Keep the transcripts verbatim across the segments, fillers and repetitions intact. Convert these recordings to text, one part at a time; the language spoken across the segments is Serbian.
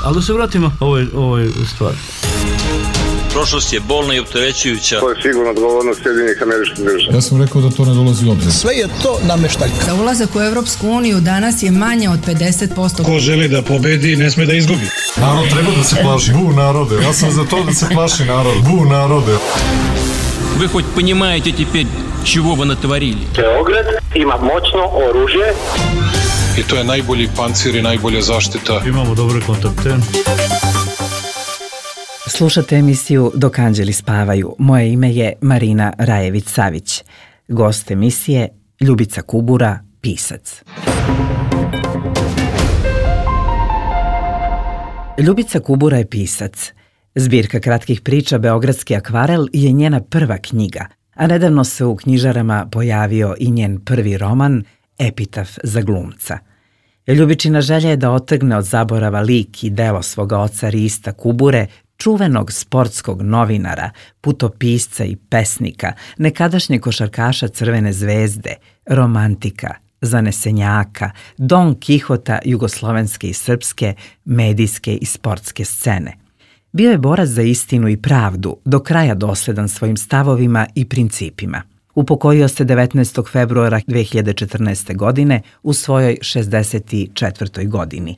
Ali da se vratimo ovoj, ovoj stvari. Prošlost je bolna i opterećujuća. To je sigurno odgovornost Sjedinjenih Američkih Država. Ja sam rekao da to ne dolazi u obzir. Sve je to nameštaljka. Za ulazak u Evropsku uniju danas je manje od pedeset posto. Ko želi da pobedi, ne sme da izgubi. Narod treba da se plaši. Bu narode. Ja sam za to da se plaši narod. Bu narode. Вы хоть понимаете теперь, чего вы натворили? Beograd ima moćno oružje. I to je najbolji pancir i najbolja zaštita. Imamo dobre kontakte. Slušate emisiju Dok anđeli spavaju. Moje ime je Marina Rajević-Savić. Gost emisije Ljubica Kubura, pisac. Ljubica Kubura je pisac. Zbirka kratkih priča Beogradski akvarel je njena prva knjiga, a nedavno se u knjižarama pojavio i njen prvi roman Epitaf za glumca. Ljubičina želja je da otrgne od zaborava lik i delo svoga oca Rista Kubure, čuvenog sportskog novinara, putopisca i pesnika, nekadašnjeg košarkaša Crvene zvezde, romantika, zanesenjaka, Don Kihota jugoslovenske i srpske, medijske i sportske scene. Bio je borac za istinu i pravdu, do kraja dosledan svojim stavovima i principima. Upokojio se devetnaestog februara dve hiljade četrnaeste. godine u svojoj šezdeset četvrtoj. godini.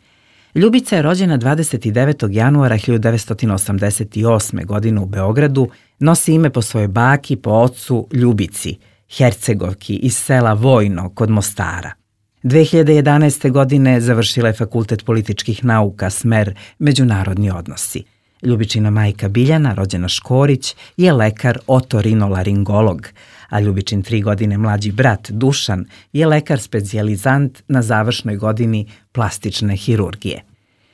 Ljubica je rođena dvadeset devetog januara hiljadu devetsto osamdeset osme. godine u Beogradu, nosi ime po svojoj baki, po ocu Ljubici, Hercegovki iz sela Vojno kod Mostara. dve hiljade jedanaeste. godine završila je Fakultet političkih nauka, smer međunarodni odnosi. Ljubičina majka Biljana, rođena Škorić, je lekar otorinolaringolog, a Ljubičin tri godine mlađi brat Dušan je lekar specijalizant na završnoj godini plastične hirurgije.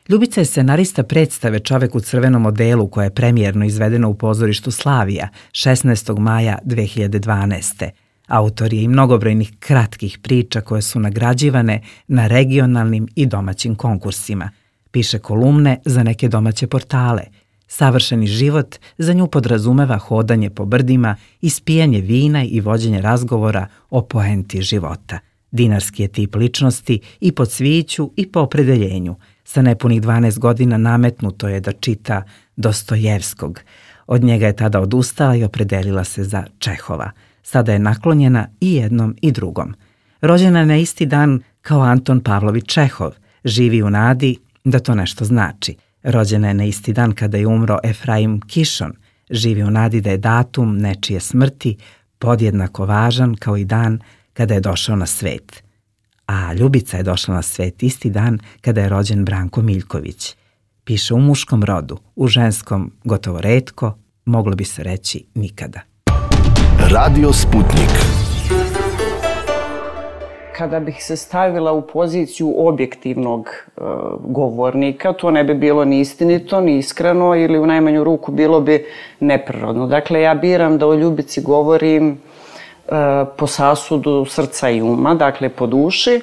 Ljubica je scenarista predstave Čovek u crvenom odelu koja je premijerno izvedena u pozorištu Slavija šesnaestog maja dve hiljade dvanaeste. Autor je i mnogobrojnih kratkih priča koje su nagrađivane na regionalnim i domaćim konkursima. Piše kolumne za neke domaće portale. Savršeni život za nju podrazumeva hodanje po brdima, ispijanje vina i vođenje razgovora o poenti života. Dinarski je tip ličnosti i po cviću i po opredeljenju. Sa nepunih dvanaest godina nametnuto je da čita Dostojevskog. Od njega je tada odustala i opredelila se za Čehova. Sada je naklonjena i jednom i drugom. Rođena je na isti dan kao Anton Pavlović Čehov. Živi u nadi da to nešto znači. Rođena je na isti dan kada je umro Efraim Kišon. Živi u nadi da je datum nečije smrti podjednako važan kao i dan kada je došao na svet. A Ljubica je došla na svet isti dan kada je rođen Branko Miljković. Piše u muškom rodu, u ženskom gotovo retko, moglo bi se reći nikada. Radio Sputnik. Kada bih se stavila u poziciju objektivnog e, govornika, to ne bi bilo ni istinito, ni iskreno ili u najmanju ruku bilo bi neprirodno. Dakle, ja biram da o Ljubici govorim e, po sasudu srca i uma, dakle po duši, e,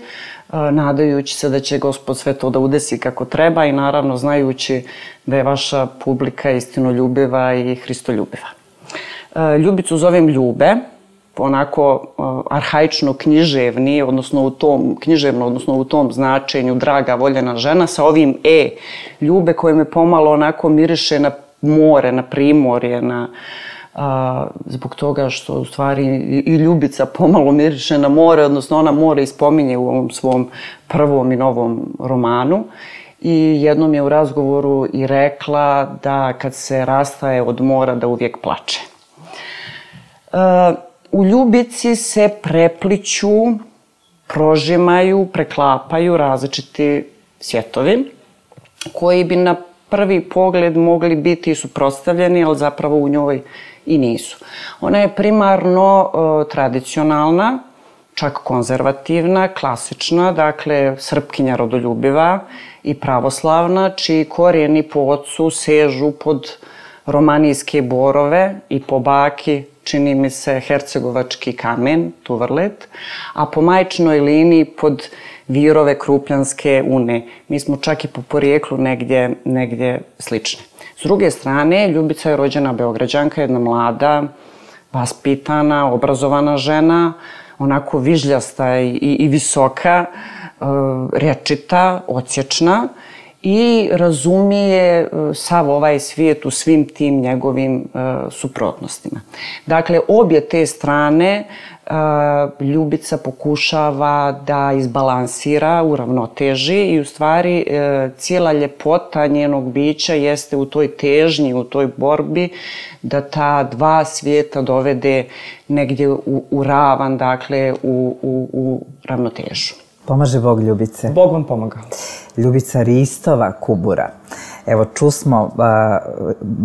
nadajući se da će Gospod sve to da udesi kako treba i naravno znajući da je vaša publika istinoljubiva i hristoljubiva. E, Ljubicu zovem Ljube, onako uh, arhaično književni, odnosno u tom književno, odnosno u tom značenju draga, voljena žena sa ovim e Ljube koje me pomalo onako miriše na more, na primorje, na uh, zbog toga što u stvari i, i Ljubica pomalo miriše na more, odnosno ona more ispominje u ovom svom prvom i novom romanu. I jednom je u razgovoru i rekla da kad se rastaje od mora da uvijek plače. Uh, U Ljubici se prepliću, prožimaju, preklapaju različiti svjetovi koji bi na prvi pogled mogli biti suprotstavljeni, ali zapravo u njoj i nisu. Ona je primarno uh, tradicionalna, čak konzervativna, klasična, dakle srpkinja rodoljubiva i pravoslavna, čiji korijeni po ocu sežu pod romanijske borove i po baki, čini mi se, hercegovački kamen, Tuvrlet, a po majčinoj liniji pod virove Krupljanske une. Mi smo čak i po porijeklu negdje, negdje slične. S druge strane, Ljubica je rođena Beograđanka, jedna mlada, vaspitana, obrazovana žena, onako vižljasta i, i visoka, rečita, odsječna i razumije sav ovaj svijet u svim tim njegovim suprotnostima. Dakle, obje te strane Ljubica pokušava da izbalansira, uravnoteži i u stvari cijela ljepota njenog bića jeste u toj težnji, u toj borbi da ta dva svijeta dovede negdje u, u ravan, dakle u, u, u ravnotežu. Pomaže Bog Ljubice. Bog vam pomagao. Ljubica Ristova Kubura. Evo, čusmo uh,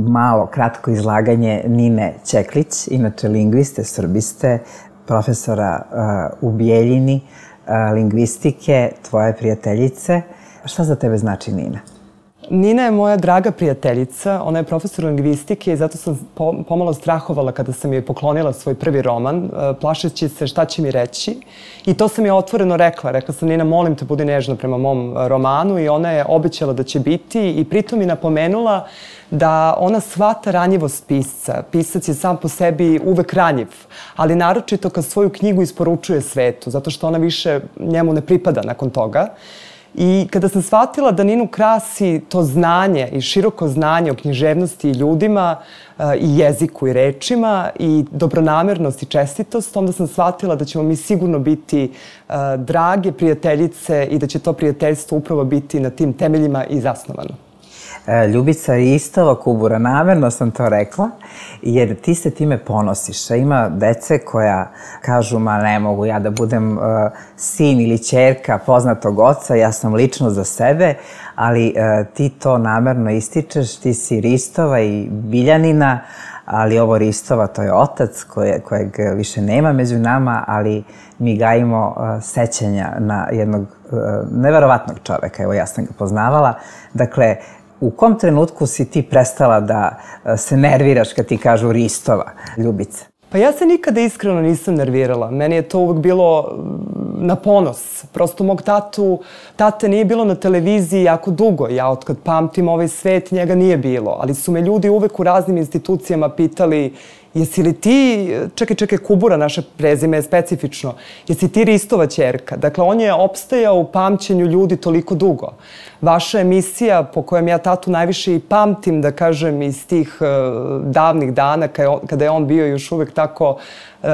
malo, kratko izlaganje Nine Ćeklić, inače lingviste, srbiste, profesora uh, u Bijeljini, uh, lingvistike, tvoje prijateljice. Šta za tebe znači Nina? Nina je moja draga prijateljica, ona je profesor lingvistike i zato sam pomalo strahovala kada sam joj poklonila svoj prvi roman, plašeći se šta će mi reći. I to sam je otvoreno rekla. Rekla sam, Nina, molim te, budi nežna prema mom romanu, i ona je obećala da će biti i pritom mi napomenula da ona shvata ranjivost pisca. Pisac je sam po sebi uvek ranjiv, ali naročito kad svoju knjigu isporučuje svetu, zato što ona više njemu ne pripada nakon toga. I kada sam shvatila da Ninu krasi to znanje i široko znanje o književnosti i ljudima i jeziku i rečima i dobronamernost i čestitost, onda sam shvatila da ćemo mi sigurno biti drage prijateljice i da će to prijateljstvo upravo biti na tim temeljima i zasnovano. Ljubica Ristova Kubura, namerno sam to rekla, jer ti se time ponosiš. Ima dece koja kažu, ma ne mogu ja da budem uh, sin ili ćerka poznatog oca, ja sam lično za sebe, ali uh, ti to namerno ističeš, ti si Ristova i Biljanina, ali ovo Ristova to je otac koje, kojeg više nema među nama, ali mi gajimo uh, sećanja na jednog uh, neverovatnog čoveka, evo ja sam ga poznavala. Dakle, u kom trenutku si ti prestala da se nerviraš kad ti kažu Ristova, Ljubice? Pa ja se nikada iskreno nisam nervirala. Meni je to uvek bilo na ponos. Prosto mog tatu, tate nije bilo na televiziji jako dugo. Ja otkad pamtim ovaj svet, njega nije bilo. Ali su me ljudi uvek u raznim institucijama pitali, jesi li ti, čekaj, čekaj, Kubura, naše prezime je specifično, jesi ti Ristova ćerka? Dakle, on je opstajao u pamćenju ljudi toliko dugo. Vaša emisija, po kojem ja tatu najviše i pamtim, da kažem, iz tih uh, davnih dana, kada je on bio još uvek tako uh,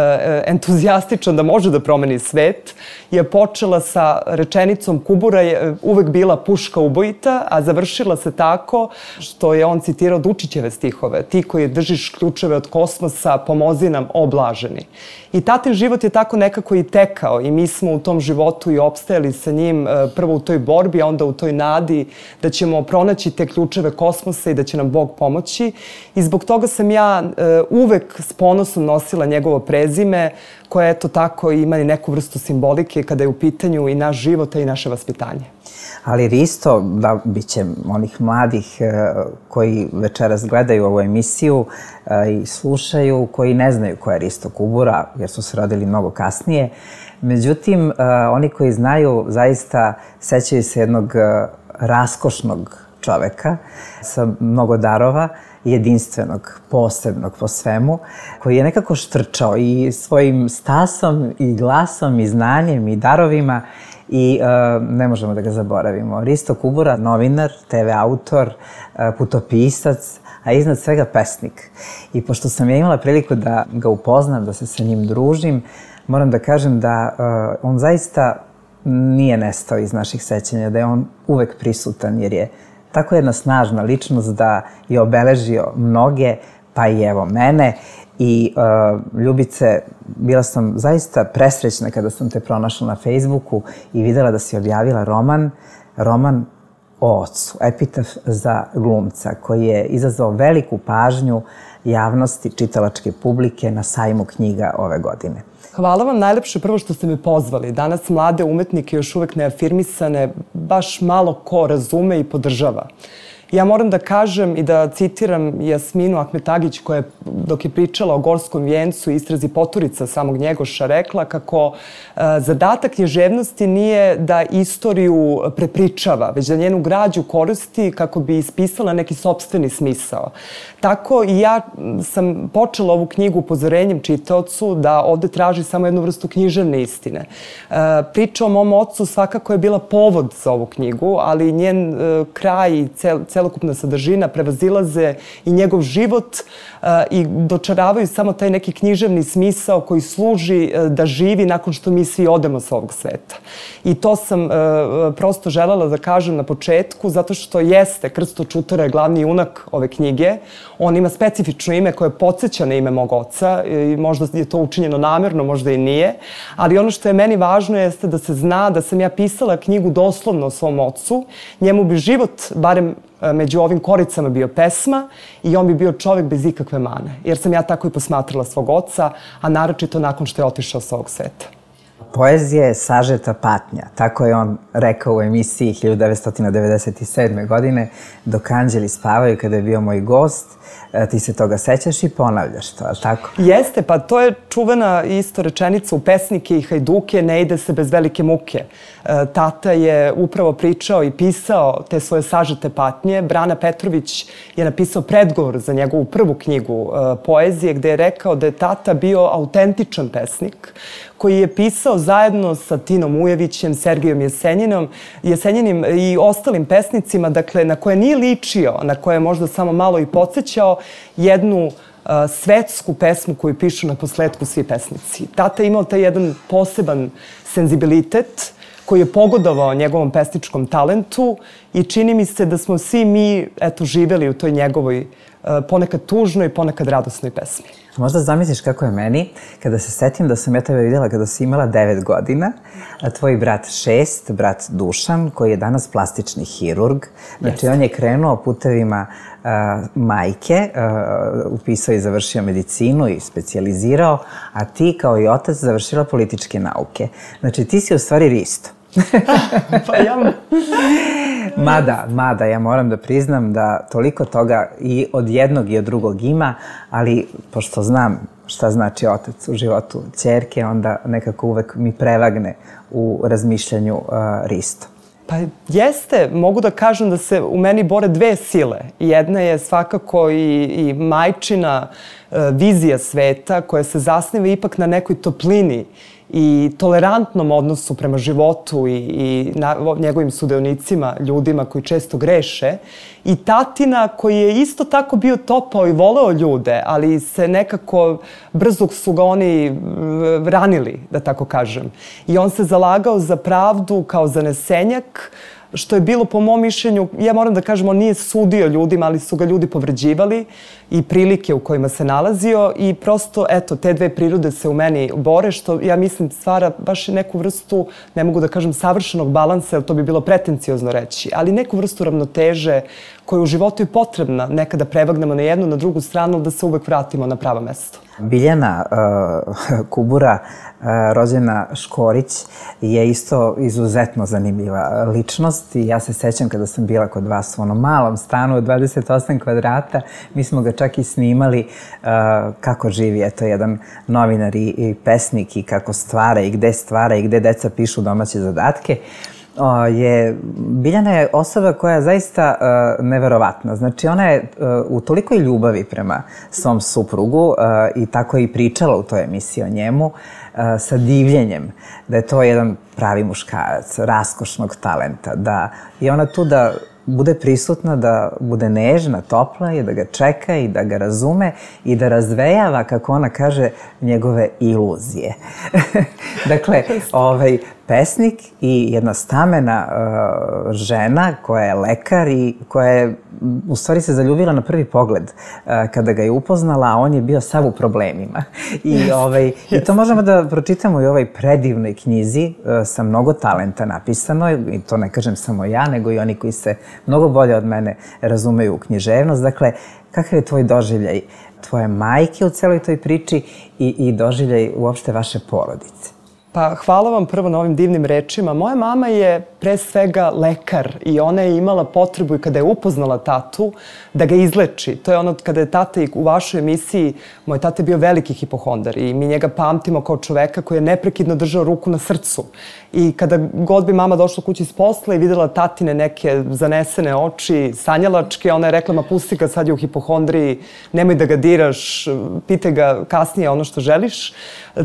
entuzijastičan da može da promeni svet, je počela sa rečenicom Kubura je uvek bila puška ubojita, a završila se tako što je on citirao Dučićeve stihove. Ti koji držiš ključeve od kosmosa, pomozi nam, o blaženi. I tatin život je tako nekako i tekao i mi smo u tom životu i opstajali sa njim prvo u toj borbi, a onda u toj nadi da ćemo pronaći te ključeve kosmosa i da će nam Bog pomoći. I zbog toga sam ja uvek s ponosom nosila njegovo prezime, koje eto tako ima i neku vrstu simbolike kada je u pitanju i naš život, i naše vaspitanje. Ali Risto, da bit će onih mladih koji večeras gledaju ovu emisiju i slušaju, koji ne znaju ko je Risto Kubura, jer su se rodili mnogo kasnije. Međutim, oni koji znaju zaista sećaju se jednog raskošnog čoveka sa mnogo darova, jedinstvenog, posebnog po svemu, koji je nekako štrčao i svojim stasom i glasom i znanjem i darovima i uh, ne možemo da ga zaboravimo. Risto Kubura, novinar, te ve autor, uh, putopisac, a iznad svega pesnik. I pošto sam ja imala priliku da ga upoznam, da se sa njim družim, moram da kažem da uh, on zaista nije nestao iz naših sećanja, da je on uvek prisutan, jer je tako jedna snažna ličnost da je obeležio mnoge, pa i evo mene. I uh, Ljubice, bila sam zaista presrećna kada sam te pronašla na Facebooku i videla da si objavila roman, roman o ocu, epitaf za glumca, koji je izazvao veliku pažnju javnosti, čitalačke publike na sajmu knjiga ove godine. Hvala vam najlepše prvo što ste me pozvali. Danas mlade umetnike još uvek neafirmisane baš malo ko razume i podržava. Ja moram da kažem i da citiram Jasminu Ahmetagić koja je, dok je pričala o Gorskom vijencu i istrazi Poturica samog Njegoša, rekla kako e, zadatak književnosti nije da istoriju prepričava, već da njenu građu koristi kako bi ispisala neki sopstveni smisao. Tako i ja sam počela ovu knjigu upozorenjem čitaocu da ovde traži samo jednu vrstu književne istine. E, priča o mom ocu svakako je bila povod za ovu knjigu, ali njen e, kraj i cel, celokupna sadržina prevazilaze i njegov život e, i dočaravaju samo taj neki književni smisao koji služi e, da živi nakon što mi svi odemo sa ovog sveta. I to sam e, prosto želela da kažem na početku, zato što jeste Krsto Čutara je glavni junak ove knjige. On ima specifično ime koje podsjeća na ime mog oca i možda je to učinjeno namerno, možda i nije, ali ono što je meni važno jeste da se zna da sam ja pisala knjigu doslovno o svom ocu. Njemu bi život, barem među ovim koricama, bio pesma i on bi bio čovjek bez ikakve mane, jer sam ja tako i posmatrala svog oca, a naročito nakon što je otišao sa ovog sveta. Poezija je sažeta patnja, tako je on rekao u emisiji hiljadu devetsto devedeset sedme. godine, dok anđeli spavaju, kada je bio moj gost. Ti se toga sećaš i ponavljaš to, ali tako? Jeste, pa to je čuvena isto rečenica u Pesnike i hajduke, ne ide se bez velike muke. Tata je upravo pričao i pisao te svoje sažete patnje. Brana Petrović je napisao predgovor za njegovu prvu knjigu poezije, gde je rekao da je tata bio autentičan pesnik, koji je pisao zajedno sa Tinom Ujevićem, Sergijom Jesenjinom, Jesenjinim i ostalim pesnicima, dakle, na koje nije ličio, na koje je možda samo malo i podsjećao, jednu uh, svetsku pesmu koju pišu na posledku svi pesnici. Tata je imao taj jedan poseban senzibilitet koji je pogodovao njegovom pesničkom talentu i čini mi se da smo svi mi, eto, živeli u toj njegovoj uh, ponekad tužnoj, ponekad radosnoj pesmi. Možda zamisliš kako je meni kada se setim da sam ja tebe vidjela kada si imala devet godina, a tvoj brat šest, brat Dušan, koji je danas plastični hirurg. Znači, on je krenuo putevima uh, majke, uh, upisao i završio medicinu i specijalizirao, a ti kao i otac završila političke nauke. Znači, ti si u stvari Risto. Pa ja... Mada, mada, ja moram da priznam da toliko toga i od jednog i od drugog ima, ali pošto znam šta znači otac u životu ćerke, onda nekako uvek mi prevagne u razmišljanju uh, Risto. Pa jeste, mogu da kažem da se u meni bore dve sile. Jedna je svakako i, i majčina uh, vizija sveta koja se zasniva ipak na nekoj toplini i tolerantnom odnosu prema životu i, i na, njegovim sudionicima, ljudima koji često greše. I tatina koji je isto tako bio topao i voleo ljude, ali se nekako brzo su ga oni ranili, da tako kažem. I on se zalagao za pravdu kao zanesenjak, što je bilo po mom mišljenju, ja moram da kažem, on nije sudio ljudima, ali su ga ljudi povređivali i prilike u kojima se nalazio i prosto, eto, te dve prirode se u meni bore, što ja mislim stvara baš neku vrstu, ne mogu da kažem savršenog balansa, jer to bi bilo pretenciozno reći, ali neku vrstu ravnoteže koja je u životu i potrebna nekada prevagnemo na jednu, na drugu stranu, da se uvek vratimo na pravo mesto. Biljana uh, Kubura, uh, rođena Škorić, je isto izuzetno zanimljiva ličnost i ja se sećam kada sam bila kod vas u onom malom stanu od dvadeset osam kvadrata, mi smo ga čak i snimali uh, kako živi, eto, jedan novinar i, i pesnik i kako stvara i gde stvara i gde deca pišu domaće zadatke. O, je, Biljana je osoba koja je zaista uh, neverovatna. Znači, ona je uh, u tolikoj ljubavi prema svom suprugu uh, i tako je i pričala u toj emisiji o njemu uh, sa divljenjem, da je to jedan pravi muškarac, raskošnog talenta, da je ona tu da bude prisutna, da bude nežna, topla i da ga čeka i da ga razume i da razvejava, kako ona kaže, njegove iluzije. Dakle, ovaj, pesnik i jedna stamena uh, žena koja je lekar i koja je u stvari se zaljubila na prvi pogled uh, kada ga je upoznala, a on je bio sav u problemima. I, ovaj, i to možemo da pročitamo i u ovoj predivnoj knjizi uh, sa mnogo talenta napisano, i to ne kažem samo ja, nego i oni koji se mnogo bolje od mene razumeju u književnost. Dakle, kakav je tvoj doživljaj tvoje majke u celoj toj priči i, i doživljaj uopšte vaše porodice? Pa hvala vam prvo na ovim divnim rečima. Moja mama je pre svega lekar i ona je imala potrebu i kada je upoznala tatu da ga izleči. To je ono kada je tata i u vašoj emisiji, moj tata je bio veliki hipohondar i mi njega pamtimo kao čoveka koji je neprekidno držao ruku na srcu. I kada god bi mama došla kući s posla i videla tatine neke zanesene oči, sanjalačke, ona je rekla, ma pusti ga, sad je u hipohondriji, nemoj da ga diraš, pitaj ga kasnije ono što želiš.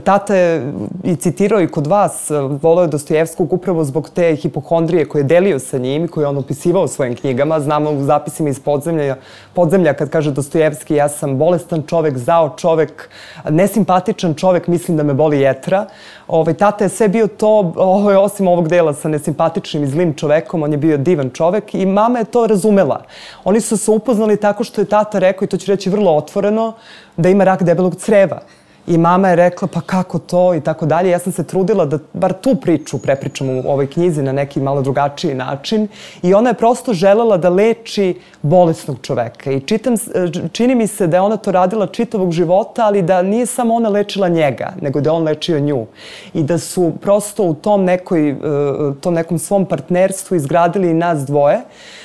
Tata je i citirao i kod vas, voleo je Dostojevskog upravo zbog te hipohondrije koje je delio sa njim i koje je on opisivao u svojim knjigama. Znamo u zapisima iz podzemlja, podzemlja kad kaže Dostojevski, ja sam bolestan čovek, zao čovek, nesimpatičan čovek, mislim da me boli jetra. Ovaj, tata je sve bio to, ovaj, osim ovog dela sa nesimpatičnim i zlim čovekom, on je bio divan čovek i mama je to razumela. Oni su se upoznali tako što je tata rekao, i to ću reći vrlo otvoreno, da ima rak debelog creva. I mama je rekla, pa kako to i tako dalje. Ja sam se trudila da bar tu priču prepričam u ovoj knjizi na neki malo drugačiji način. I ona je prosto želela da leči bolesnog čoveka. I čitam, čini mi se da je ona to radila čitavog života, ali da nije samo ona lečila njega, nego da je on lečio nju. I da su prosto u tom, nekoj, tom nekom svom partnerstvu izgradili i nas dvoje.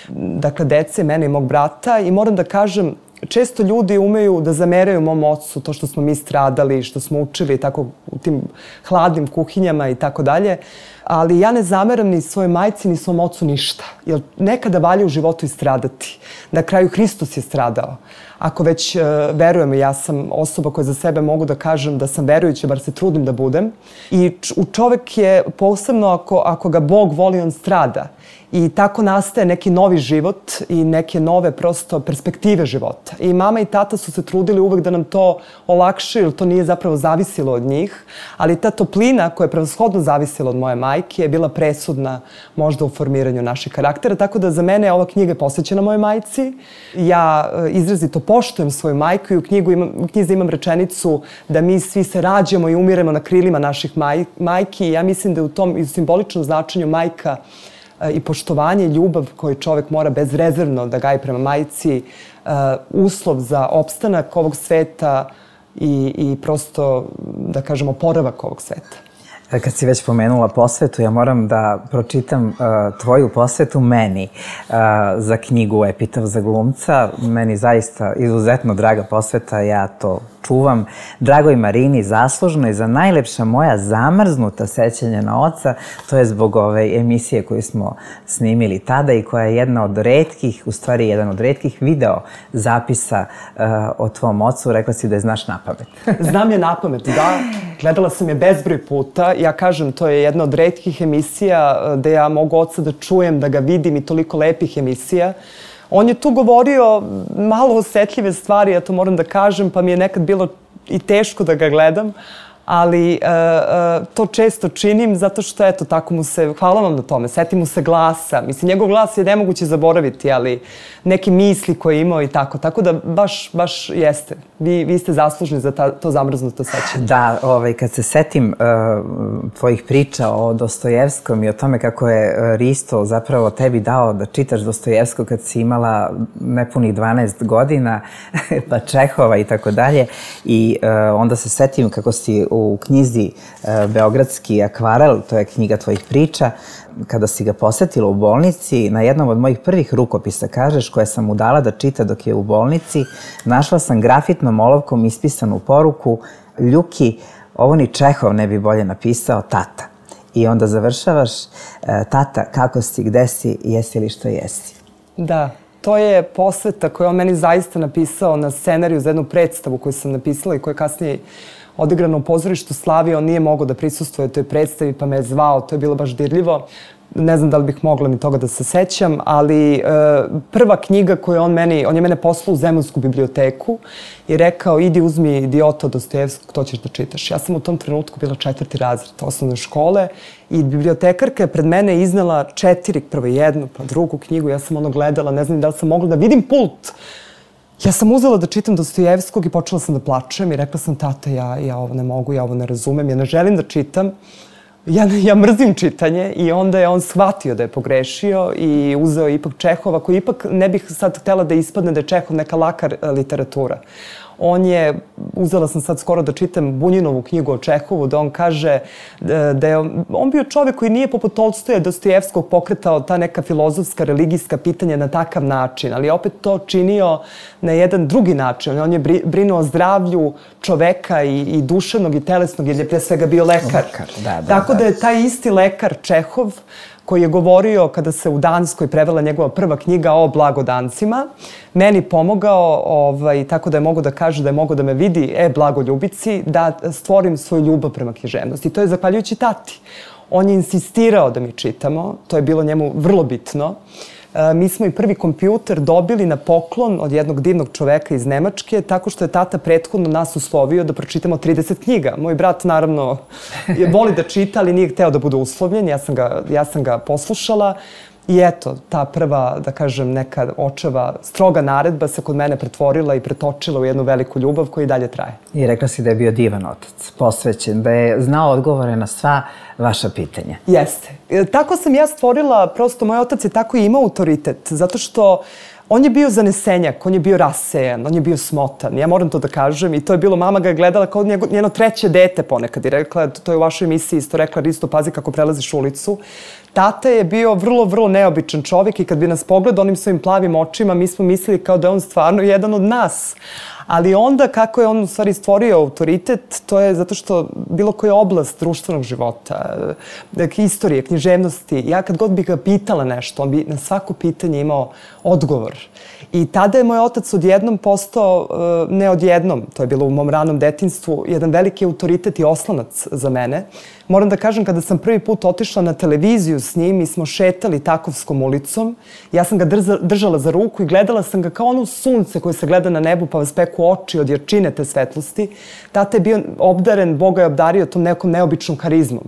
Dakle, dece, mene i mog brata. I moram da kažem, često ljudi umeju da zameraju mom ocu to što smo mi stradali, što smo učili tako u tim hladnim kuhinjama i tako dalje. Ali ja ne zameram ni svojoj majci ni svom ocu ništa. Jer nekada valja u životu i stradati. Na kraju Hristos je stradao. Ako već uh, verujemo, ja sam osoba koja za sebe mogu da kažem da sam verujuća, bar se trudim da budem. I u čovek je posebno ako, ako ga Bog voli, on strada. I tako nastaje neki novi život i neke nove prosto perspektive života. I mama i tata su se trudili uvek da nam to olakšaju, jer to nije zapravo zavisilo od njih. Ali ta toplina koja je prevashodno zavisila od moje majke je bila presudna možda u formiranju naših karaktera. Tako da za mene je ova knjiga posvećena mojoj majci. Ja izrazito poštujem svoju majku i u, knjigu imam, u knjizi imam rečenicu da mi svi se rađamo i umiremo na krilima naših maj, majki. I ja mislim da je u tom i u simboličnom značenju majka i poštovanje i ljubav koju čovek mora bezrezervno da gaji prema majci, uslov za opstanak ovog sveta i, i prosto, da kažemo, oporavak ovog sveta. Kad si već pomenula posvetu, ja moram da pročitam uh, tvoju posvetu meni uh, za knjigu Epitaf za glumca. Meni zaista izuzetno draga posveta, ja to čuvam. Dragoj Marini, zaslužno i za najlepša moja zamrznuta sećanja na oca, to je zbog ove emisije koju smo snimili tada i koja je jedna od retkih, u stvari jedan od retkih video zapisa uh, o tvom ocu. Rekla si da je znaš napamet. Znam je napamet, da. Gledala sam je bezbroj puta. Ja kažem, to je jedna od retkih emisija gde ja mogu oca da čujem, da ga vidim i toliko lepih emisija. On je tu govorio malo osetljive stvari, ja to moram da kažem, pa mi je nekad bilo i teško da ga gledam, ali uh, uh, to često činim zato što, eto, tako mu se, hvala vam na tome, seti mu se glasa. Mislim, njegov glas je nemoguće zaboraviti, ali neke misli koje je imao i tako. Tako da baš, baš jeste. Vi, vi ste zaslužni za ta, to zamrznuto sećanje. Da, ovaj, kad se setim uh, tvojih priča o Dostojevskom i o tome kako je Risto zapravo tebi dao da čitaš Dostojevskog kad si imala nepunih dvanaest godina, pa Čehova i tako dalje. I uh, onda se setim kako si u knjizi uh, Beogradski akvarel, to je knjiga tvojih priča, kada si ga posetila u bolnici, na jednom od mojih prvih rukopisa kažeš, koje sam mu dala da čita dok je u bolnici, našla sam grafitnom olovkom ispisanu poruku: Ljuki, ovo ni Čehov ne bi bolje napisao, tata. I onda završavaš: tata, kako si, gde si, jesi li što jesi? Da, to je posveta koju on meni zaista napisao na scenariju za jednu predstavu koju sam napisala i koja je kasnije odigrano u pozorištu Slavije. On nije mogao da prisustvuje toj predstavi, pa me je zvao. To je bilo baš dirljivo. Ne znam da li bih mogla ni toga da se sećam, ali e, prva knjiga koju on meni, on je mene poslao u Zemunsku biblioteku i rekao: idi uzmi Idiota Dostojevskog, to ćeš da čitaš. Ja sam u tom trenutku bila četvrti razred osnovne škole i bibliotekarka je pred mene iznela četiri, prvo jednu, pa drugu knjigu. Ja sam ono gledala, ne znam da li sam mogla da vidim pult. Ja sam uzela da čitam Dostojevskog i počela sam da plačem i rekla sam: tata, ja, ja ovo ne mogu, ja ovo ne razumem, ja ne želim da čitam. Ja, ja mrzim čitanje. I onda je on shvatio da je pogrešio i uzeo ipak Čehova, koji ipak ne bih sad htela da ispadne da je Čehov neka laka literatura. On je, uzela sam sad skoro da čitam Bunjinovu knjigu o Čehovu, da on kaže da, da je on bio čovek koji nije poput Tolstoja, Dostojevskog pokretao ta neka filozofska, religijska pitanja na takav način, ali opet to činio na jedan drugi način. On je brinuo o zdravlju čoveka i, i duševnog i telesnog, jer je pre svega bio lekar. lekar da, da, Tako da. da je taj isti lekar Čehov, koji je govorio kada se u Danskoj prevela njegova prva knjiga o blagodancima, meni pomogao, ovaj, tako da je mogo da kaže da je mogo da me vidi, e, blagoljubici, da stvorim svoju ljubav prema književnosti. I to je zahvaljujući tati. On je insistirao da mi čitamo, to je bilo njemu vrlo bitno. E, mi smo i prvi kompjuter dobili na poklon od jednog divnog čoveka iz Nemačke, tako što je tata prethodno nas uslovio da pročitamo trideset knjiga. Moj brat, naravno, je voli da čita, ali nije hteo da bude uslovljen. Ja sam ga, ja sam ga poslušala. I eto, ta prva, da kažem, neka očeva stroga naredba se kod mene pretvorila i pretočila u jednu veliku ljubav koja i dalje traje. I rekla si da je bio divan otac, posvećen, da je znao odgovore na sva vaša pitanja. Jeste. E, tako sam ja stvorila, prosto moj otac je tako i imao autoritet, zato što on je bio zanesenjak, on je bio rasejan, on je bio smotan. Ja moram to da kažem i to je bilo, mama ga je gledala kao njego, njeno treće dete ponekad i rekla, to je u vašoj emisiji isto rekla, Risto, pazi kako prelaziš ulicu. Tata je bio vrlo, vrlo neobičan čovjek i kad bi nas pogledao onim svojim plavim očima, mi smo mislili kao da je on stvarno jedan od nas. Ali onda kako je on u stvari stvorio autoritet, to je zato što bilo koja oblast društvenog života, istorije, književnosti, ja kad god bih ga pitala nešto, on bi na svako pitanje imao odgovor. I tada je moj otac odjednom postao, ne odjednom, to je bilo u mom ranom detinjstvu, jedan veliki autoritet i oslonac za mene. Moram da kažem, kada sam prvi put otišla na televiziju s njim i smo šetali Takovskom ulicom, ja sam ga držala za ruku i gledala sam ga kao ono sunce koje se gleda na nebu pa vas peku oči od jarčine te svetlosti. Tata je bio obdaren, Boga je obdario tom nekom neobičnom harizmom.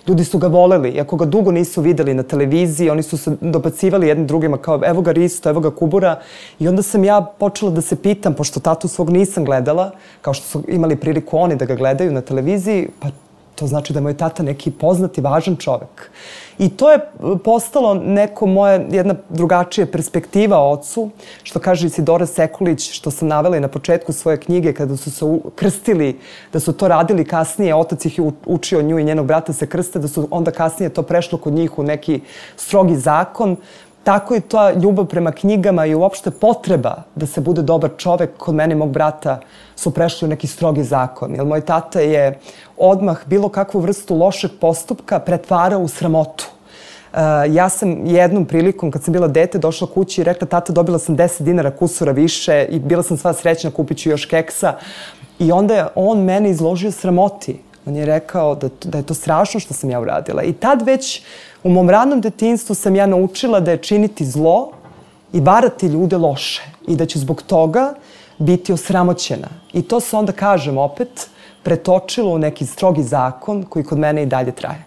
Ljudi su ga voleli, iako ga dugo nisu videli na televiziji, oni su se dobacivali jednim drugima kao evo ga Risto, evo ga Kubura. I onda sam ja počela da se pitam, pošto tatu svog nisam gledala, kao što su imali priliku oni da ga gledaju na televiziji, pa to znači da je moj tata neki poznati, važan čovek. I to je postalo neko moje, jedna drugačija perspektiva o ocu, što kaže Isidora Sekulić, što sam navela i na početku svoje knjige, kada su se krstili, da su to radili kasnije, otac ih je učio nju i njenog brata se krste, da su onda kasnije to prešlo kod njih u neki strogi zakon. Tako je ta ljubav prema knjigama i uopšte potreba da se bude dobar čovek kod mene i mog brata su prešli u neki strogi zakon. Jer moj tata je odmah bilo kakvu vrstu lošeg postupka pretvarao u sramotu. Uh, ja sam jednom prilikom, kad sam bila dete, došla kući i rekla, tata, dobila sam deset dinara kusura više i bila sam sva srećna, kupit ću još keksa. I onda je on mene izložio sramoti. On je rekao da, da je to strašno što sam ja uradila. I tad već u mom ranom detinjstvu sam ja naučila da je činiti zlo i varati ljude loše. I da ću zbog toga biti osramoćena. I to se onda, kažem opet, pretočilo u neki strogi zakon koji kod mene i dalje traje.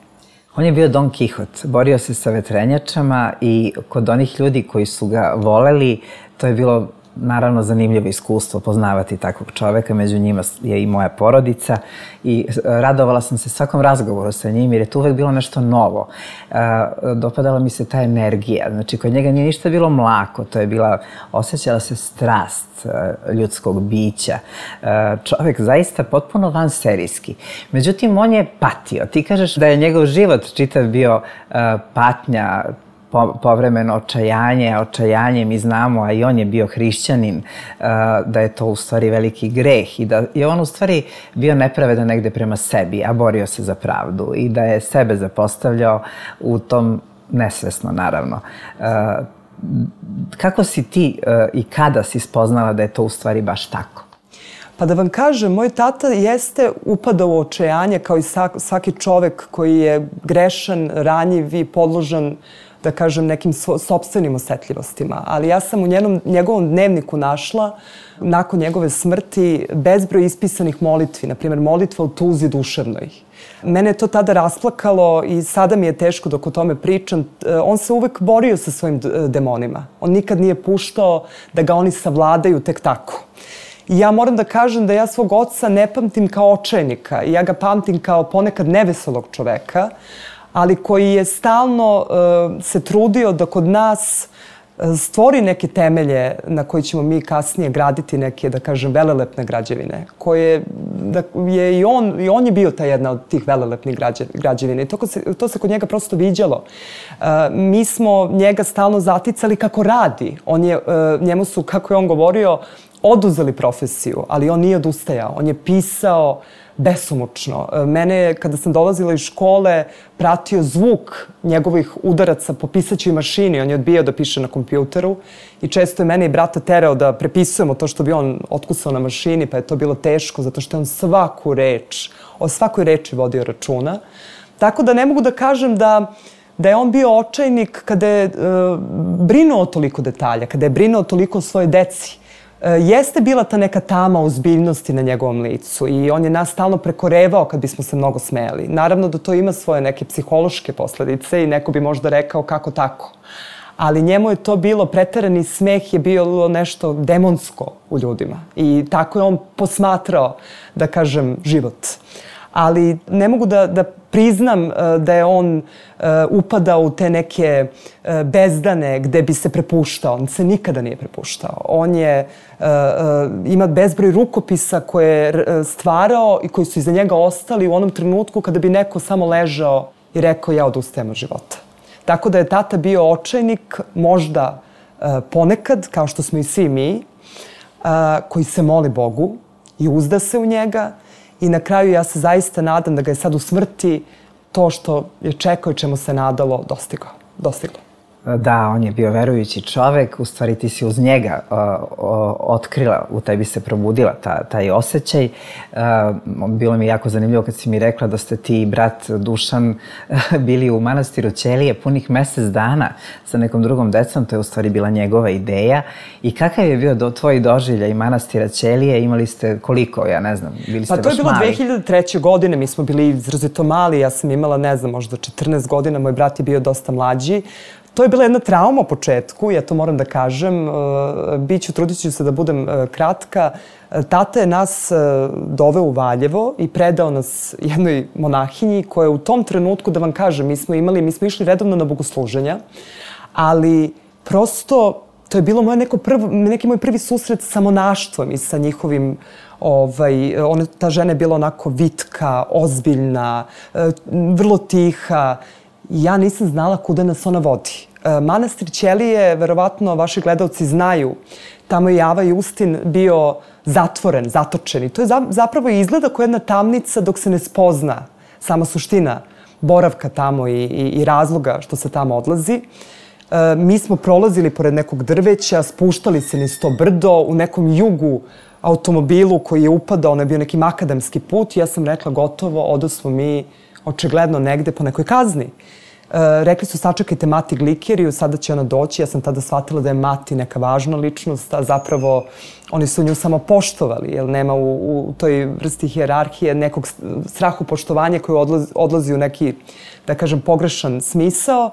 On je bio Don Kihot, borio se sa vetrenjačama i kod onih ljudi koji su ga voleli, to je bilo naravno zanimljivo iskustvo poznavati takvog čoveka, među njima je i moja porodica i radovala sam se svakom razgovoru sa njim jer je tu uvek bilo nešto novo. Dopadala mi se ta energija, znači kod njega nije ništa bilo mlako, to je bila, osjećala se strast ljudskog bića. Čovek zaista potpuno vanserijski. Međutim, on je patio. Ti kažeš da je njegov život čitav bio patnja, povremeno očajanje, očajanje mi znamo, a i on je bio hrišćanin, da je to u stvari veliki greh i da je on u stvari bio nepravedan negde prema sebi, a borio se za pravdu i da je sebe zapostavljao u tom, nesvesno naravno. Kako si ti i kada si spoznala da je to u stvari baš tako? Pa da vam kažem, moj tata jeste upadao u očajanje kao i svaki čovek koji je grešan, ranjiv i podložan, da kažem, nekim sopstvenim osetljivostima. Ali ja sam u njenom, njegovom dnevniku našla, nakon njegove smrti, bezbroj ispisanih molitvi, na primjer molitva o tuzi duševnoj. Mene je to tada rasplakalo i sada mi je teško dok o tome pričam. On se uvek borio sa svojim demonima. On nikad nije puštao da ga oni savladaju tek tako. I ja moram da kažem da ja svog oca ne pamtim kao očajnika. Ja ga pamtim kao ponekad neveselog čoveka, ali koji je stalno uh, se trudio da kod nas stvori neke temelje na koji ćemo mi kasnije graditi neke, da kažem, velelepne građevine, koje da, je i on, i on je bio ta jedna od tih velelepnih građevina i to se, to se kod njega prosto viđalo. Uh, mi smo njega stalno zaticali kako radi. On je, uh, njemu su, kako je on govorio, oduzeli profesiju, ali on nije odustajao. On je pisao besomučno. Mene je, kada sam dolazila iz škole, pratio zvuk njegovih udaraca po pisaćoj mašini. On je odbijao da piše na kompjuteru i često je mene i brata terao da prepisujemo to što bi on otkusao na mašini, pa je to bilo teško, zato što je on svaku reč, o svakoj reči vodio računa. Tako da ne mogu da kažem da da je on bio očajnik kada je e, brinuo toliko detalja, kada je brinuo toliko o svojoj deci. Jeste bila ta neka tama ozbiljnosti na njegovom licu i on je nas stalno prekorevao kad bismo se mnogo smejali. Naravno da to ima svoje neke psihološke posledice i neko bi možda rekao kako tako. Ali njemu je to bilo, preterani smeh je bilo nešto demonsko u ljudima i tako je on posmatrao, da kažem, život. Ali ne mogu da, da priznam uh, da je on uh, upadao u te neke uh, bezdane gde bi se prepuštao. On se nikada nije prepuštao. On je, uh, uh, ima bezbroj rukopisa koje je stvarao i koji su iza njega ostali u onom trenutku kada bi neko samo ležao i rekao ja odustajem od života. Tako da je tata bio očajnik, možda uh, ponekad, kao što smo i svi mi, uh, koji se moli Bogu i uzda se u njega. I na kraju ja se zaista nadam da ga je sad u smrti to što je čekao i čemu se nadalo dostiglo. dostiglo. Da, on je bio verujući čovek, u stvari ti si uz njega uh, uh, otkrila, u tebi se probudila ta, taj osjećaj. Uh, bilo mi je jako zanimljivo kad si mi rekla da ste ti i brat Dušan uh, bili u manastiru Ćelije punih mesec dana sa nekom drugom decom, to je u stvari bila njegova ideja. I kakav je bio do, tvoj doživljaj manastira Ćelije? Imali ste koliko, ja ne znam, bili ste baš mali? Pa to je bilo dve hiljade treće. godine, mi smo bili izrazito mali, ja sam imala, ne znam, možda četrnaest godina, moj brat je bio dosta mlađi. To je bila jedna trauma u početku, ja to moram da kažem. Biću, trudit ću se da budem kratka. Tata je nas doveo u Valjevo i predao nas jednoj monahinji koja je u tom trenutku, da vam kažem, mi smo imali, mi smo išli redovno na bogosluženja, ali prosto to je bilo moje neko prvo, neki moj prvi susret sa monaštvom i sa njihovim, ovaj, ona, ta žena je bila onako vitka, ozbiljna, vrlo tiha. Ja nisam znala kuda nas ona vodi. Manastir Ćelije, verovatno vaši gledalci znaju, tamo je Java Justin bio zatvoren, zatočen. I to je zapravo izgleda kao jedna tamnica dok se ne spozna sama suština boravka tamo i, i, i razloga što se tamo odlazi. E, mi smo prolazili pored nekog drveća, spuštali se niz to brdo u nekom jugu automobilu koji je upadao, ono je bio neki makadamski put i ja sam rekla gotovo, odosmo mi očigledno negde po nekoj kazni. E, rekli su sačekajte Mati Glikeriju, sada će ona doći. Ja sam tada shvatila da je Mati neka važna ličnost, a zapravo oni su nju samo poštovali, jer nema u, u toj vrsti hijerarhije nekog strahu poštovanja koji odlazi, odlazi u neki, da kažem, pogrešan smisao.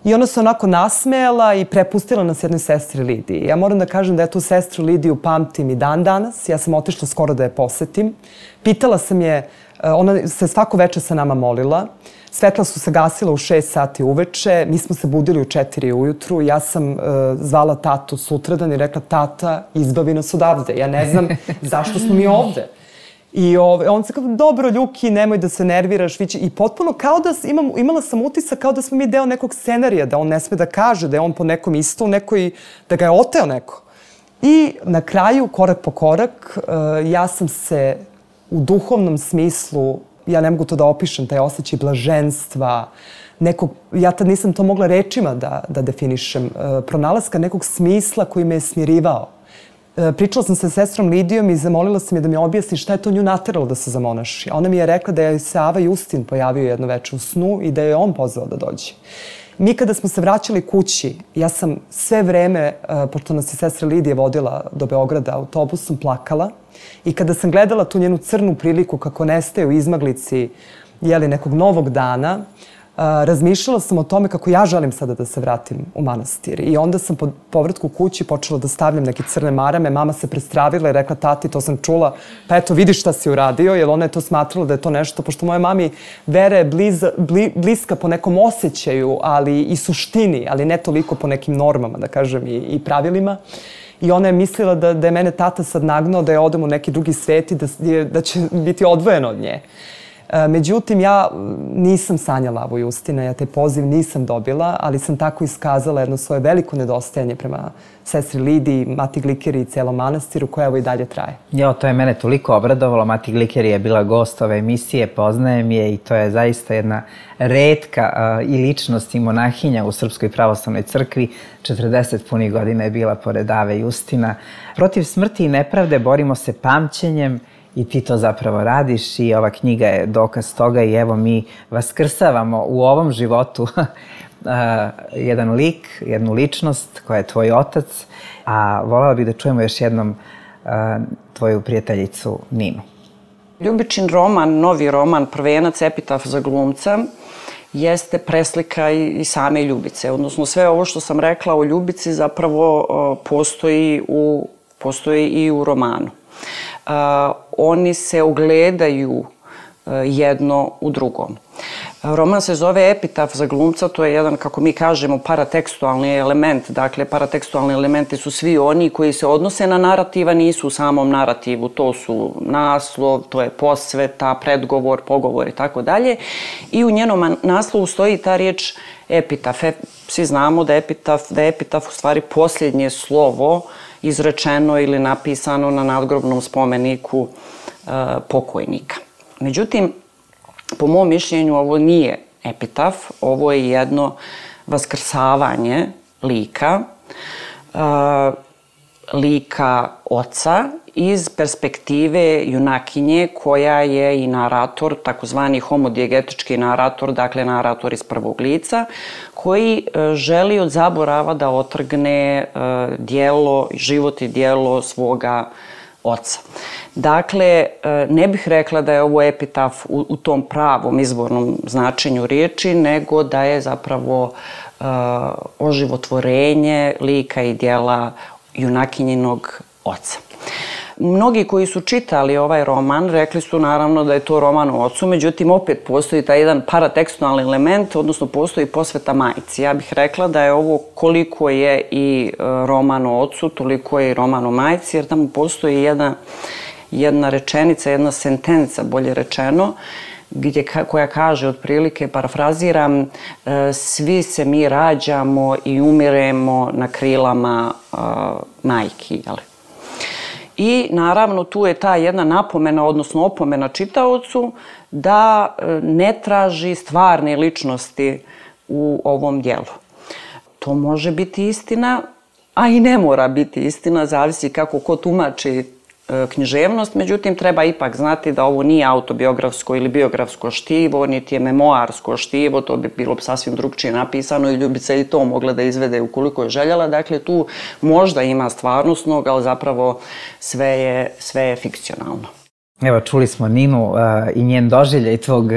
I ona se onako nasmejala i prepustila nas jednoj sestri Lidiji. Ja moram da kažem da ja tu sestru Lidiju pamtim i dan danas. Ja sam otišla skoro da je posetim. Pitala sam je, ona se svako veče sa nama molila. Svetla su se gasila u šest sati uveče. Mi smo se budili u četiri ujutru. Ja sam uh, zvala tatu sutradan i rekla tata, izbavi nas odavde. Ja ne znam zašto smo mi ovde. I ove, on se kao, dobro, Ljuki, nemoj da se nerviraš. Vići. I potpuno kao da imam, imala sam utisak kao da smo mi deo nekog scenarija, da on ne sme da kaže, da je on po nekom isto, nekoj, da ga je oteo neko. I na kraju, korak po korak, uh, ja sam se u duhovnom smislu, ja ne mogu to da opišem, taj osjećaj blaženstva, nekog, ja tad nisam to mogla rečima da, da definišem, uh, pronalaska nekog smisla koji me je smirivao. Pričala sam sa sestrom Lidijom i zamolila sam je da mi objasni šta je to nju nateralo da se zamonaši. Ona mi je rekla da je se Ava Justin pojavio jedno veče u snu i da je on pozvao da dođe. Mi kada smo se vraćali kući, ja sam sve vreme, pošto nas je sestra Lidija vodila do Beograda autobusom, plakala. I kada sam gledala tu njenu crnu priliku kako nestaje u izmaglici jeli, nekog novog dana, razmišljala sam o tome kako ja želim sada da se vratim u manastir. I onda sam po povratku kući počela da stavljam neke crne marame. Mama se prestravila i rekla, tati, to sam čula, pa eto, vidi šta si uradio, jer ona je to smatrala da je to nešto, pošto moje mami vera je bliz, bli, bliska po nekom osjećaju, ali i suštini, ali ne toliko po nekim normama, da kažem, i, i pravilima. I ona je mislila da, da je mene tata sad nagnao da je odem u neki drugi svet i da, da će biti odvojena od nje. Međutim, ja nisam sanjala ovo Justina, ja taj poziv nisam dobila, ali sam tako iskazala jedno svoje veliko nedostajanje prema sestri Lidiji, Mati Glikeri i celom manastiru, koja evo i dalje traje. Jo, to je mene toliko obradovalo. Mati Glikeri je bila gost ove emisije, poznajem je i to je zaista jedna retka uh, i ličnost i monahinja u Srpskoj pravoslavnoj crkvi. četrdeset punih godina je bila pored Ave Justina. Protiv smrti i nepravde borimo se pamćenjem, i ti to zapravo radiš i ova knjiga je dokaz toga i evo mi vaskrsavamo u ovom životu jedan lik, jednu ličnost koja je tvoj otac, a voljela bih da čujemo još jednom tvoju prijateljicu Ninu. Ljubičin roman, novi roman, Prvenac, epitaf za glumca, jeste preslika i same Ljubice. Odnosno sve ovo što sam rekla o Ljubici zapravo postoji, u, postoji i u romanu. Uh, oni se ogledaju uh, jedno u drugom. Uh, roman se zove Epitaf za glumca, to je jedan, kako mi kažemo, paratekstualni element. Dakle, paratekstualni elementi su svi oni koji se odnose na narativ, a nisu u samom narativu. To su naslov, to je posveta, predgovor, pogovor i tako dalje. I u njenom naslovu stoji ta riječ epitaf. E, svi znamo da je epitaf, da je epitaf u stvari posljednje slovo izrečeno ili napisano na nadgrobnom spomeniku e, pokojnika. Međutim, po mom mišljenju, ovo nije epitaf, ovo je jedno vaskrsavanje lika, e, lika oca iz perspektive junakinje koja je i narator, takozvani homodijegetički narator, dakle narator iz prvog lica, koji želi od zaborava da otrgne dijelo, život i dijelo svoga oca. Dakle, ne bih rekla da je ovo epitaf u, u tom pravom izvornom značenju riječi, nego da je zapravo uh, oživotvorenje lika i dijela junakinjinog oca. Mnogi koji su čitali ovaj roman rekli su naravno da je to roman o ocu, međutim opet postoji taj jedan paratekstualni element, odnosno postoji posveta majci. Ja bih rekla da je ovo koliko je i roman o ocu, toliko je i roman o majci, jer tamo postoji jedna, jedna rečenica, jedna sentenca, bolje rečeno, gdje, koja kaže, otprilike, parafraziram, svi se mi rađamo i umiremo na krilama uh, majki, jel? I naravno tu je ta jedna napomena, odnosno opomena čitaocu da ne traži stvarne ličnosti u ovom dijelu. To može biti istina, a i ne mora biti istina, zavisi kako ko tumači književnost, međutim treba ipak znati da ovo nije autobiografsko ili biografsko štivo, niti je memoarsko štivo, to bi bilo sasvim drugčije napisano i Ljubica i to mogla da izvede ukoliko je željela. Dakle, tu možda ima stvarnosnog, ali zapravo sve je, sve je fikcionalno. Evo, čuli smo Ninu uh, i njen doživljaj tvog uh,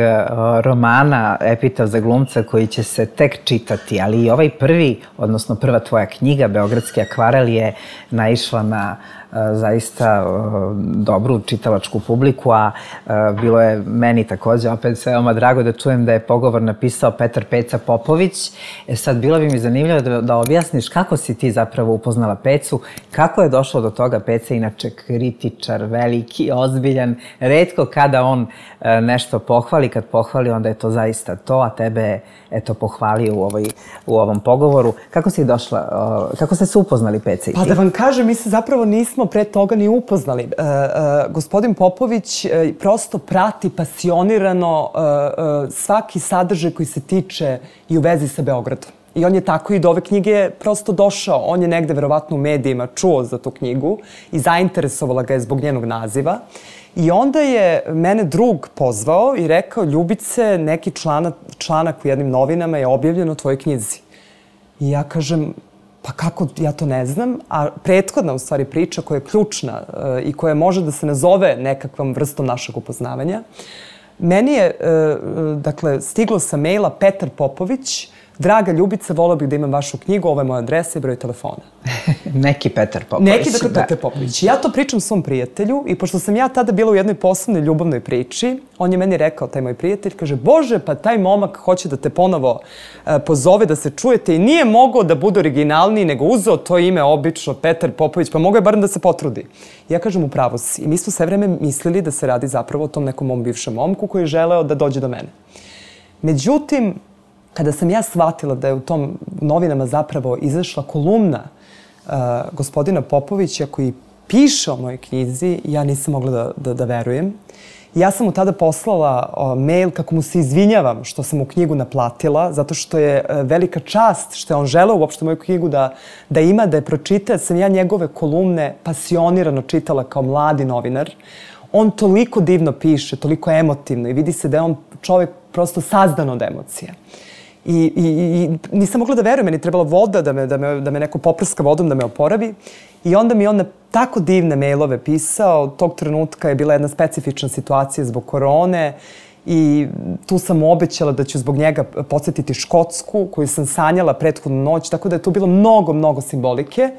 romana Epitaf za glumca koji će se tek čitati, ali i ovaj prvi, odnosno prva tvoja knjiga, Beogradski akvarel, je naišla na uh, zaista uh, dobru čitalačku publiku, a uh, bilo je meni također opet veoma drago da čujem da je pogovor napisao Petar Peca Popović. E sad, bilo bi mi zanimljivo da, da objasniš kako si ti zapravo upoznala Pecu, kako je došlo do toga. Peca inače kritičar, veliki, ozbiljan, retko kada on e, nešto pohvali, kad pohvali onda je to zaista to, a tebe je eto pohvalio u, ovoj, u ovom pogovoru. Kako si došla, o, kako ste se upoznali, Peca i ti? Pa da vam kažem, mi se zapravo nismo pre toga ni upoznali. E, e, gospodin Popović e, prosto prati pasionirano e, e, svaki sadržaj koji se tiče i u vezi sa Beogradom. I on je tako i do ove knjige prosto došao. On je negde verovatno u medijima čuo za tu knjigu i zainteresovala ga je zbog njenog naziva. I onda je mene drug pozvao i rekao, Ljubice, neki članak, članak u jednim novinama je objavljen o tvojoj knjizi. I ja kažem, pa kako, ja to ne znam. A prethodna, u stvari, priča koja je ključna uh, i koja može da se nazove nekakvom vrstom našeg upoznavanja, Meni je, dakle, stiglo sa maila Petar Popović, draga Ljubica, volao bih da imam vašu knjigu, ovo je moja adresa i broj telefona. Neki Petar Popović. Neki, dakle, da. Petar Popović. Ja to pričam svom prijatelju i pošto sam ja tada bila u jednoj poslovnoj ljubavnoj priči, on je meni rekao, taj moj prijatelj, kaže, Bože, pa taj momak hoće da te ponovo e, pozove, da se čujete i nije mogao da bude originalniji, nego uzeo to ime obično, Petar Popović, pa mogao je barem da se potrudi. Ja kažem, upravo si. I mi smo sve vreme mislili da se radi zapravo o tom nekom mom bivšem momku koji je želeo da dođe do mene. Međutim, kada sam ja shvatila da je u tom novinama zapravo izašla kolumna uh, gospodina Popovića koji piše o mojoj knjizi, ja nisam mogla da, da, da verujem. Ja sam mu tada poslala uh, mail kako mu se izvinjavam što sam mu knjigu naplatila, zato što je uh, velika čast što je on želeo uopšte moju knjigu da, da ima, da je pročita. Sam ja njegove kolumne pasionirano čitala kao mladi novinar. On toliko divno piše, toliko emotivno i vidi se da je on čovjek prosto sazdan od emocija. I, i, i nisam mogla da verujem, meni je trebala voda, da me, da, me, da me neko poprska vodom, da me oporavi. I onda mi on na tako divne mailove pisao. Tog trenutka je bila jedna specifična situacija zbog korone i tu sam mu obećala da ću zbog njega podsjetiti Škotsku, koju sam sanjala prethodnu noć, tako da je tu bilo mnogo, mnogo simbolike.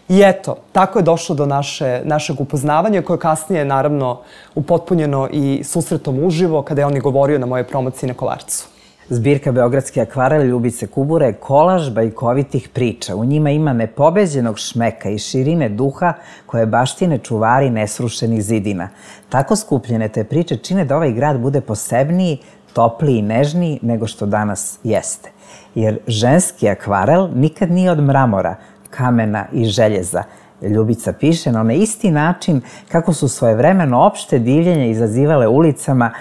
I eto, tako je došlo do naše, našeg upoznavanja, koje kasnije, naravno, upotpunjeno i susretom uživo, kada je on i govorio na moje promociji na Kolarcu. Zbirka Beogradski akvarel Ljubice Kubure je kolaž bajkovitih priča. U njima ima nepobeđenog šmeka i širine duha koje baštine čuvari nesrušenih zidina. Tako skupljene te priče čine da ovaj grad bude posebniji, topliji i nežniji nego što danas jeste. Jer ženski akvarel nikad nije od mramora, kamena i željeza. Ljubica piše na onaj isti način kako su svojevremeno opšte divljenje izazivale ulicama,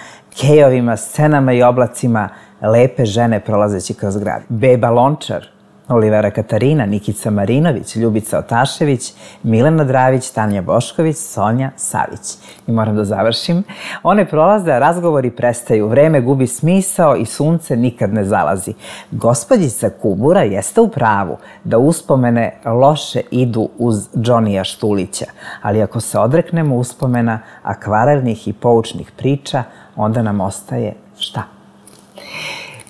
kejovima, scenama i oblacima lepe žene prolazeći kroz grad. Beba Lončar, Olivera Katarina, Nikica Marinović, Ljubica Otašević, Milena Dravić, Tanja Bošković, Sonja Savić. I moram da završim. One prolaze, a razgovori prestaju. Vreme gubi smisao i sunce nikad ne zalazi. Gospođica Kubura jeste u pravu da uspomene loše idu uz Džonija Štulića, ali ako se odreknemo uspomena akvarelnih i poučnih priča, onda nam ostaje šta?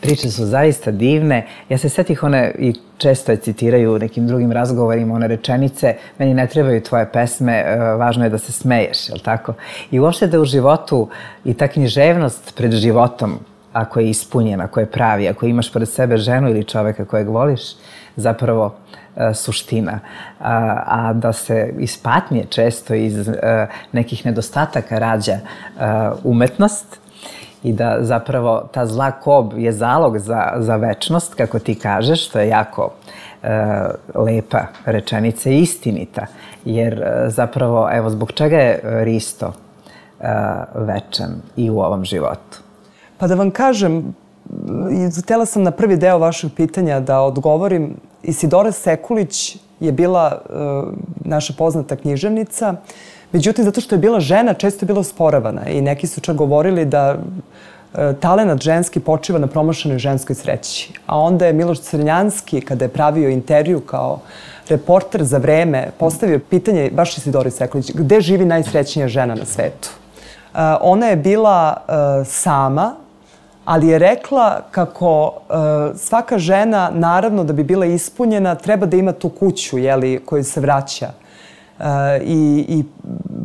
Priče su zaista divne. Ja se setih one, i često je citiraju u nekim drugim razgovorima, one rečenice, meni ne trebaju tvoje pesme, važno je da se smeješ, jel tako? I uopšte da u životu i ta književnost pred životom, ako je ispunjena, ako je pravi, ako imaš pored sebe ženu ili čoveka kojeg voliš, zapravo suština. A, a da se iz patnje često iz nekih nedostataka rađa umetnost, i da zapravo ta zla kob je zalog za, za večnost, kako ti kažeš, što je jako e, lepa rečenica i istinita. Jer e, zapravo, evo, zbog čega je Risto e, večan i u ovom životu? Pa da vam kažem, htjela sam na prvi deo vašeg pitanja da odgovorim. Isidora Sekulić je bila e, naša poznata književnica. Međutim, zato što je bila žena, često je bila osporavana i neki su čak govorili da e, talenat ženski počiva na promašenoj ženskoj sreći. A onda je Miloš Crnjanski, kada je pravio intervju kao reporter za Vreme, postavio pitanje, baš Isidori Sekulić, gde živi najsrećnija žena na svetu? E, ona je bila e, sama, ali je rekla kako e, svaka žena, naravno da bi bila ispunjena, treba da ima tu kuću, jeli, koju se vraća. Uh, i, i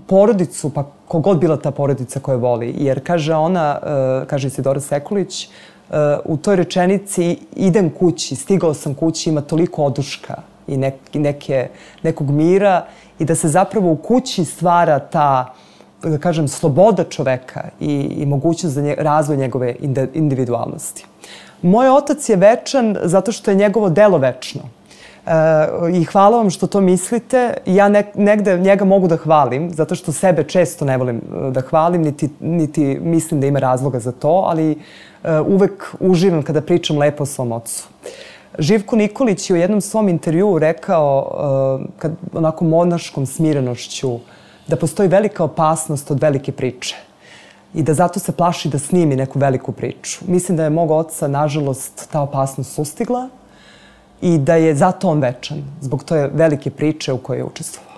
porodicu, pa kogod bila ta porodica koju voli. Jer kaže ona, uh, kaže Isidora Sekulić, uh, u toj rečenici idem kući, stigao sam kući, ima toliko oduška i nek, neke, nekog mira i da se zapravo u kući stvara ta, da kažem, sloboda čoveka i, i mogućnost za nje, razvoj njegove individualnosti. Moj otac je večan zato što je njegovo delo večno. Uh, i hvala vam što to mislite. Ja ne, negde njega mogu da hvalim, zato što sebe često ne volim da hvalim, niti, niti mislim da ima razloga za to, ali uh, uvek uživam kada pričam lepo o svom ocu. Živko Nikolić je u jednom svom intervjuu rekao, uh, kad, onako monaškom smirenošću, da postoji velika opasnost od velike priče i da zato se plaši da snimi neku veliku priču. Mislim da je mog oca, nažalost, ta opasnost sustigla i da je zato on večan, zbog toje velike priče u kojoj je učestvovao.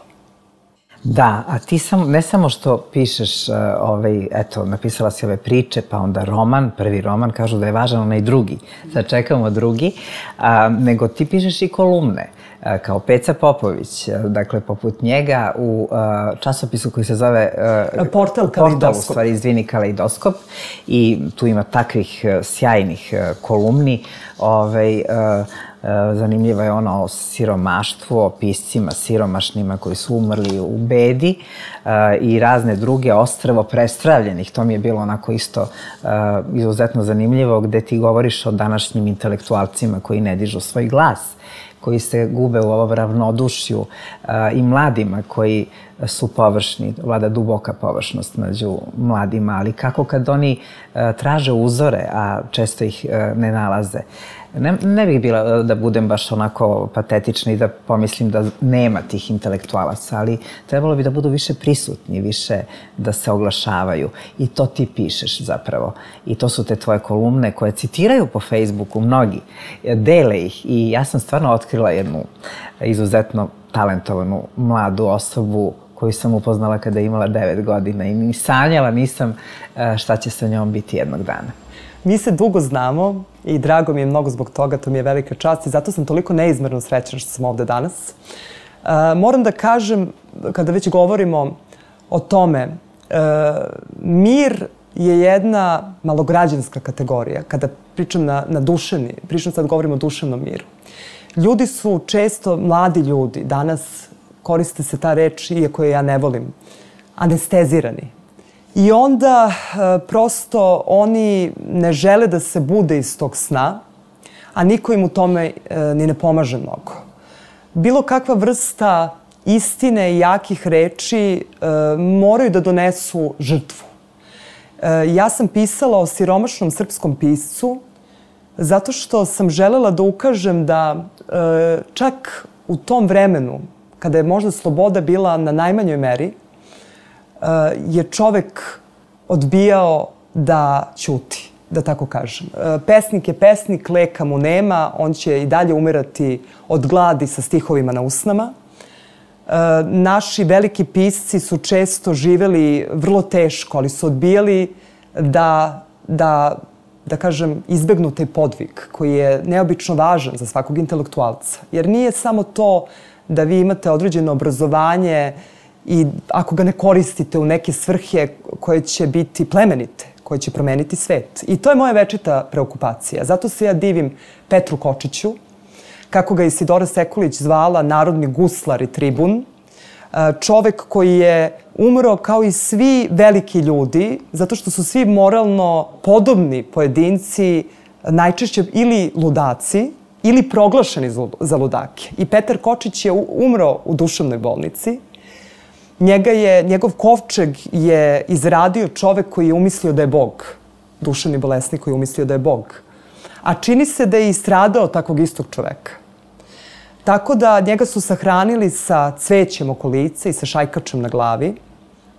Da, a ti sam, ne samo što pišeš, uh, ovaj, eto, napisala si ove priče, pa onda roman, prvi roman, kažu da je važan onaj drugi, sad čekamo drugi, uh, nego ti pišeš i kolumne, uh, kao Peca Popović, uh, dakle, poput njega u uh, časopisu koji se zove... Uh, Portal Kaleidoskop. Portal, u stvari, izvini, Kaleidoskop, i tu ima takvih uh, sjajnih uh, kolumni, ovaj... Uh, zanimljiva je ona o siromaštvu, o piscima siromašnima koji su umrli u bedi i razne druge ostrvo prestravljenih. To mi je bilo onako isto izuzetno zanimljivo, gde ti govoriš o današnjim intelektualcima koji ne dižu svoj glas, koji se gube u ovom ravnodušju, i mladima koji su površni, vlada duboka površnost među mladima, ali kako kad oni traže uzore, a često ih ne nalaze. Ne, ne bih bila da budem baš onako patetična i da pomislim da nema tih intelektualaca, ali trebalo bi da budu više prisutni, više da se oglašavaju. I to ti pišeš zapravo. I to su te tvoje kolumne koje citiraju po Facebooku mnogi, dele ih. I ja sam stvarno otkrila jednu izuzetno talentovanu mladu osobu koju sam upoznala kada je imala devet godina i ni sanjala nisam šta će sa njom biti jednog dana. Mi se dugo znamo i drago mi je mnogo zbog toga, to mi je velika čast i zato sam toliko neizmerno srećna što sam ovde danas. Uh, moram da kažem, kada već govorimo o tome, uh, mir je jedna malograđanska kategorija. Kada pričam na, na duševni, pričam sad govorimo o duševnom miru. Ljudi su često, mladi ljudi, danas koriste se ta reč, iako je ja ne volim, anestezirani. I onda prosto oni ne žele da se bude iz tog sna, a niko im u tome ni ne pomaže mnogo. Bilo kakva vrsta istine i jakih reči moraju da donesu žrtvu. Ja sam pisala o siromašnom srpskom piscu zato što sam želela da ukažem da čak u tom vremenu, kada je možda sloboda bila na najmanjoj meri, je čovek odbijao da ćuti, da tako kažem. Pesnik je pesnik, leka mu nema, on će i dalje umirati od gladi sa stihovima na usnama. Naši veliki pisci su često živeli vrlo teško, ali su odbijali da, da, da kažem, izbegnu taj podvig koji je neobično važan za svakog intelektualca. Jer nije samo to da vi imate određeno obrazovanje i ako ga ne koristite u neke svrhe koje će biti plemenite, koje će promeniti svet. I to je moja večita preokupacija. Zato se ja divim Petru Kočiću, kako ga je Isidora Sekulić zvala narodni guslar i tribun. Čovek koji je umro kao i svi veliki ljudi, zato što su svi moralno podobni pojedinci, najčešće ili ludaci, ili proglašeni za ludake. I Petar Kočić je umro u duševnoj bolnici. Njega je, njegov kovčeg je izradio čovek koji je umislio da je Bog. Duševni bolesnik koji je umislio da je Bog. A čini se da je i stradao takvog istog čoveka. Tako da njega su sahranili sa cvećem oko lice i sa šajkačem na glavi.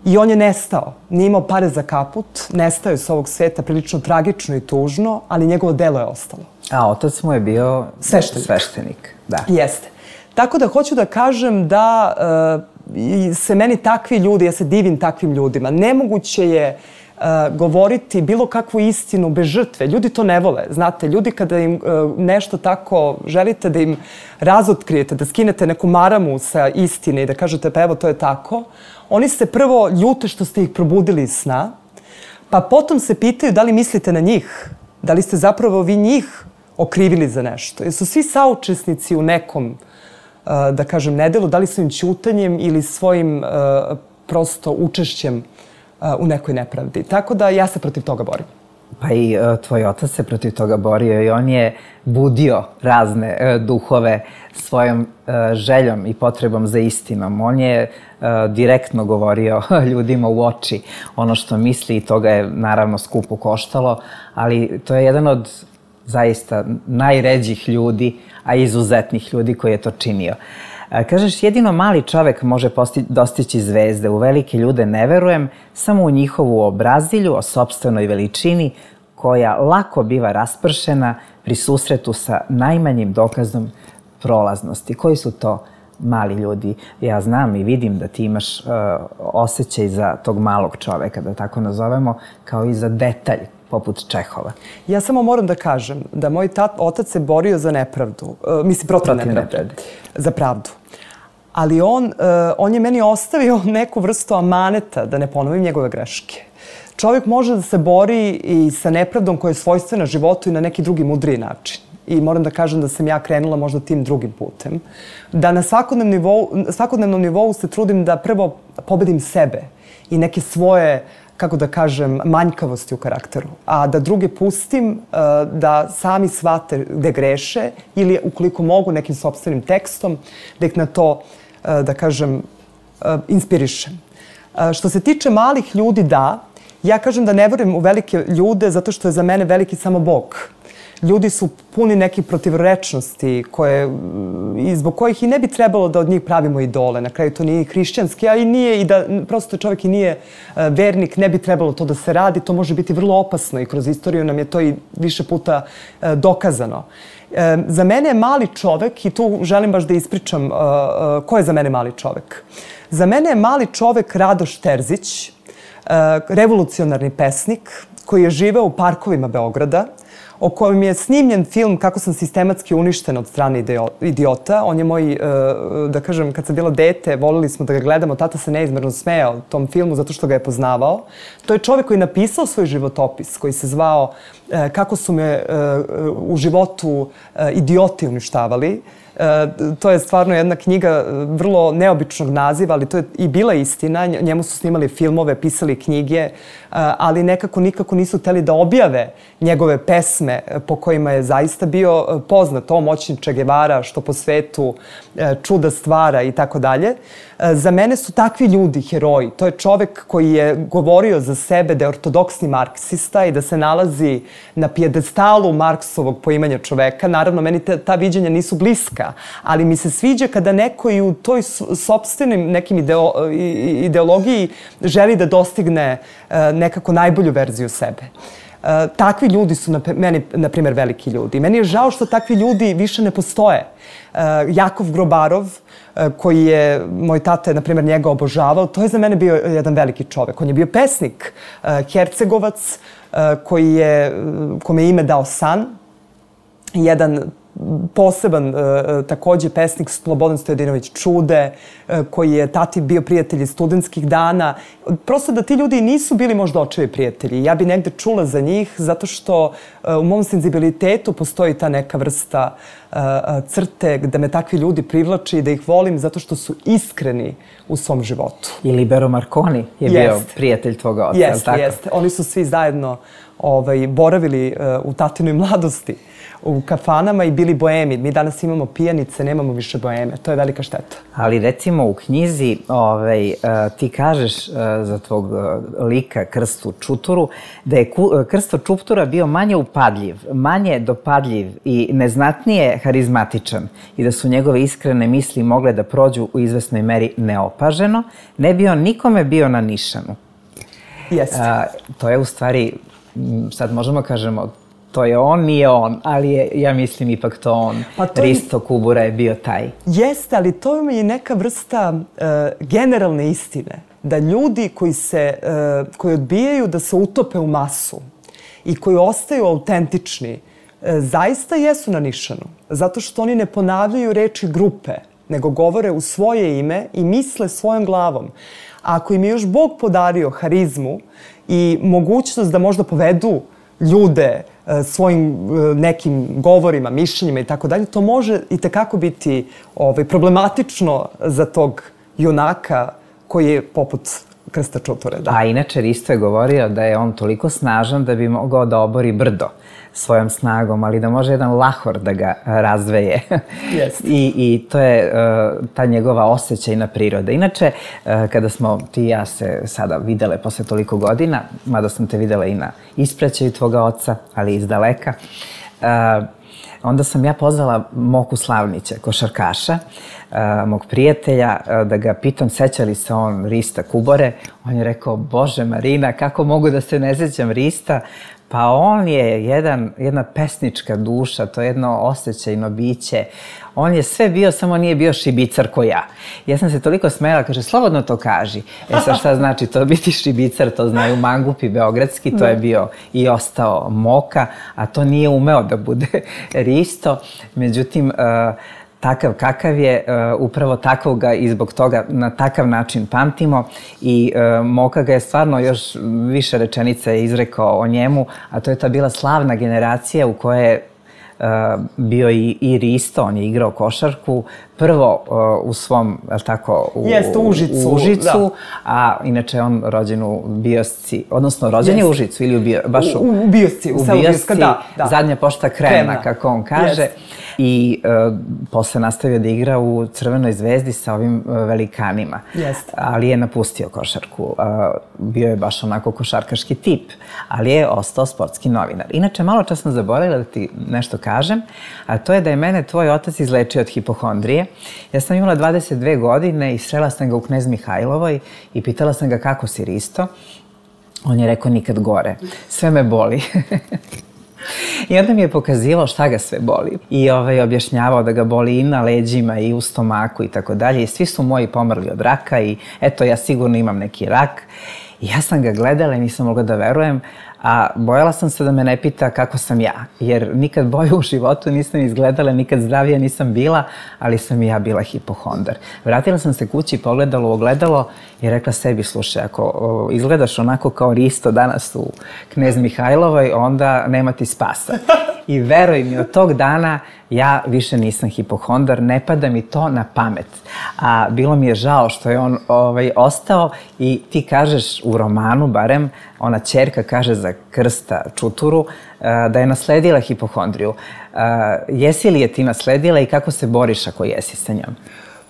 I on je nestao. Nije imao pare za kaput, nestao je s ovog sveta prilično tragično i tužno, ali njegovo delo je ostalo. A otac mu je bio sveštenik. Sveštenik, da. Jeste. Tako da hoću da kažem da uh, se meni takvi ljudi, ja se divim takvim ljudima. Nemoguće je uh, govoriti bilo kakvu istinu bez žrtve. Ljudi to ne vole. Znate, ljudi kada im uh, nešto tako želite da im razotkrijete, da skinete neku maramu sa istine i da kažete pa evo to je tako, oni se prvo ljute što ste ih probudili iz sna, pa potom se pitaju da li mislite na njih, da li ste zapravo vi njih okrivili za nešto. Jer su svi saučesnici u nekom, da kažem, nedelu, da li svojim ćutanjem ili svojim prosto učešćem u nekoj nepravdi. Tako da ja se protiv toga borim. Pa i tvoj otac se protiv toga borio i on je budio razne duhove svojom željom i potrebom za istinom. On je direktno govorio ljudima u oči ono što misli i to ga je naravno skupo koštalo, ali to je jedan od zaista najređih ljudi, a izuzetnih ljudi koji je to činio. Kažeš, jedino mali čovek može dostići zvezde. U velike ljude ne verujem, samo u njihovu obrazilju o sopstvenoj veličini koja lako biva raspršena pri susretu sa najmanjim dokazom prolaznosti. Koji su to mali ljudi. Ja znam i vidim da ti imaš uh, osjećaj za tog malog čoveka, da tako nazovemo, kao i za detalj poput Čehova. Ja samo moram da kažem da moj tat, otac se borio za nepravdu, uh, mislim protiv, protiv nepravde, nepravde, za pravdu. Ali on, uh, on je meni ostavio neku vrstu amaneta da ne ponovim njegove greške. Čovjek može da se bori i sa nepravdom koja je svojstvena životu i na neki drugi mudriji način. I moram da kažem da sam ja krenula možda tim drugim putem. Da na svakodnevnom nivou, svakodnevnom nivou se trudim da prvo pobedim sebe i neke svoje, kako da kažem, manjkavosti u karakteru. A da druge pustim uh, da sami shvate gde greše ili ukoliko mogu nekim sopstvenim tekstom da ih na to, uh, da kažem, uh, inspirišem. Uh, što se tiče malih ljudi, da, ja kažem da ne verujem u velike ljude zato što je za mene veliki samo Bog. Ljudi su puni nekih protivrečnosti koje, i zbog kojih i ne bi trebalo da od njih pravimo idole. Na kraju to nije hrišćanski, a i nije i da prosto čovjek i nije vernik, ne bi trebalo to da se radi. To može biti vrlo opasno i kroz istoriju nam je to i više puta dokazano. Za mene je mali čovek, i tu želim baš da ispričam ko je za mene mali čovek. Za mene je mali čovek Radoš Terzić, revolucionarni pesnik koji je živeo u parkovima Beograda, o kojem je snimljen film Kako sam sistematski uništen od strane idiota. On je moj, da kažem, kad sam bila dete, volili smo da ga gledamo, tata se neizmerno smejao tom filmu zato što ga je poznavao. To je čovjek koji je napisao svoj životopis, koji se zvao Kako su me u životu idioti uništavali. To je stvarno jedna knjiga vrlo neobičnog naziva, ali to je i bila istina. Njemu su snimali filmove, pisali knjige, ali nekako nikako nisu hteli da objave njegove pesme po kojima je zaista bio poznat. O moćni Che Guevara, što po svetu čuda stvara i tako dalje. Za mene su takvi ljudi heroji. To je čovek koji je govorio za sebe da je ortodoksni marksista i da se nalazi na pijedestalu Marksovog poimanja čoveka. Naravno, meni te, ta viđenja nisu bliska, ali mi se sviđa kada neko i u toj sopstvenim nekim ideo, ideologiji želi da dostigne nekako najbolju verziju sebe. Uh, takvi ljudi su na, meni, na primjer, veliki ljudi. Meni je žao što takvi ljudi više ne postoje. Uh, Jakov Grobarov, uh, koji je, moj tata je, na primjer, njega obožavao, to je za mene bio jedan veliki čovek. On je bio pesnik, uh, Hercegovac, uh, koji je, kome je ime dao san, jedan poseban uh, takođe pesnik Slobodan Stojadinović Čude, uh, koji je tati bio prijatelj iz studentskih dana. Prosto da ti ljudi nisu bili možda očevi prijatelji. Ja bi negde čula za njih zato što uh, u mom senzibilitetu postoji ta neka vrsta uh, crte gde me takvi ljudi privlači i da ih volim zato što su iskreni u svom životu. I Libero Marconi je jest. bio prijatelj tvoga oca, jeste, tako? Jeste, oni su svi zajedno ovaj, boravili uh, u tatinoj mladosti u kafanama i bili boemi. Mi danas imamo pijanice, nemamo više boeme. To je velika šteta. Ali recimo u knjizi ovaj, ti kažeš za tvog lika Krstu Čuturu da je Krsto Čutura bio manje upadljiv, manje dopadljiv i neznatnije harizmatičan i da su njegove iskrene misli mogle da prođu u izvesnoj meri neopaženo, ne bi on nikome bio na nišanu. Jeste. A, to je u stvari, sad možemo kažemo, to je on, nije on, ali je, ja mislim, ipak to on. Pa to Risto Kubura je bio taj. Jeste, ali to je neka vrsta uh, generalne istine. Da ljudi koji, se, uh, koji odbijaju da se utope u masu i koji ostaju autentični, uh, zaista jesu na nišanu. Zato što oni ne ponavljaju reči grupe, nego govore u svoje ime i misle svojom glavom. A ako im je još Bog podario harizmu i mogućnost da možda povedu ljude svojim nekim govorima, mišljenjima i tako dalje, to može i tekako biti ovaj, problematično za tog junaka koji je poput Krsta Čuture. Da. A inače, Risto je govorio da je on toliko snažan da bi mogao da obori brdo svojom snagom, ali da može jedan lahor da ga razdveje. Yes. I, I to je uh, ta njegova osjećajna priroda. Inače, uh, kada smo ti i ja se sada videle posle toliko godina, mada sam te videla i na ispraćaju tvoga oca, ali iz daleka, uh, onda sam ja pozvala Moku Slavnića, košarkaša, uh, mog prijatelja, uh, da ga pitam seća li se on Rista Kubore. On je rekao, Bože Marina, kako mogu da se ne sećam Rista? Pa on je jedan, jedna pesnička duša, to je jedno osjećajno biće. On je sve bio, samo nije bio šibicar ko ja. Ja sam se toliko smela, kaže, slobodno to kaži. E sad šta znači to biti šibicar, to znaju mangupi beogradski, to je bio i ostao Moka, a to nije umeo da bude Risto. Međutim, takav kakav je, upravo takvog ga i zbog toga na takav način pamtimo i Moka ga je stvarno još više rečenica je izrekao o njemu, a to je ta bila slavna generacija u kojoj je bio i, i Risto, on je igrao košarku, prvo u svom, je li tako, u, Jeste, u Užicu, u Užicu da. A inače on rođen u Biosci, odnosno rođen je u Užicu ili u Bio, baš u, u, u Biosci, u, u selu Bioska, da, da. Zadnja pošta Kremna, Kremna, kako on kaže. Jeste. I uh, posle nastavio da igra u Crvenoj zvezdi sa ovim uh, velikanima. Jeste. Ali je napustio košarku. Uh, bio je baš onako košarkaški tip, ali je ostao sportski novinar. Inače, malo čas sam zaboravila da ti nešto kažem, a to je da je mene tvoj otac izlečio od hipohondrije. Ja sam imala dvadeset dve godine i srela sam ga u Knez Mihajlovoj i pitala sam ga kako si, Risto. On je rekao nikad gore. Sve me boli. I onda mi je pokazivao šta ga sve boli. I ovaj, objašnjavao da ga boli i na leđima i u stomaku i tako dalje. I svi su moji pomrli od raka i eto, ja sigurno imam neki rak. I ja sam ga gledala i nisam mogla da verujem, a bojala sam se da me ne pita kako sam ja, jer nikad bolje u životu nisam izgledala, nikad zdravija nisam bila, ali sam i ja bila hipohondar. Vratila sam se kući, pogledala u ogledalo i rekla sebi, slušaj, ako o, izgledaš onako kao Risto danas u Knez Mihajlovoj, onda nema ti spasa. I veruj mi, od tog dana ja više nisam hipohondar, ne pada mi to na pamet. A bilo mi je žao što je on ovaj, ostao i ti kažeš u romanu, barem, ona ćerka kaže za Krsta Čuturu da je nasledila hipohondriju. Jesi li je ti nasledila i kako se boriš ako jesi sa njom?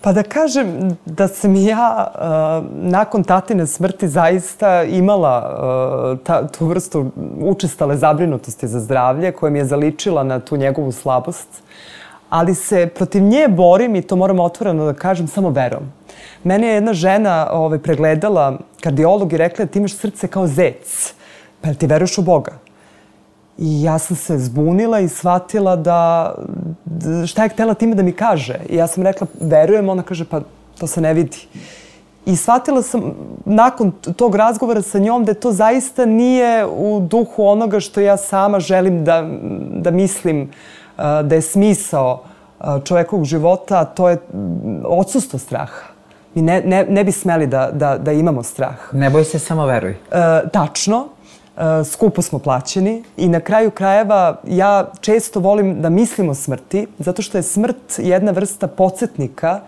Pa da kažem da sam ja uh, nakon tatine smrti zaista imala uh, ta, tu vrstu učestale zabrinutosti za zdravlje koja mi je zaličila na tu njegovu slabost. Ali se protiv nje borim, i to moram otvoreno da kažem, samo verom. Mene je jedna žena ovaj, pregledala, kardiolog, i rekla ti imaš srce kao zec. Pa jel ti veruješ u Boga? I ja sam se zbunila i shvatila da, da šta je htjela time da mi kaže. I ja sam rekla, verujem, ona kaže, pa to se ne vidi. I shvatila sam nakon tog razgovora sa njom da to zaista nije u duhu onoga što ja sama želim da, da mislim da je smisao čovekovog života, a to je odsustvo straha. Mi ne, ne, ne bi smeli da, da, da imamo strah. Ne boj se, samo veruj. E, tačno. E, skupo smo plaćeni i na kraju krajeva ja često volim da mislim o smrti, zato što je smrt jedna vrsta podsjetnika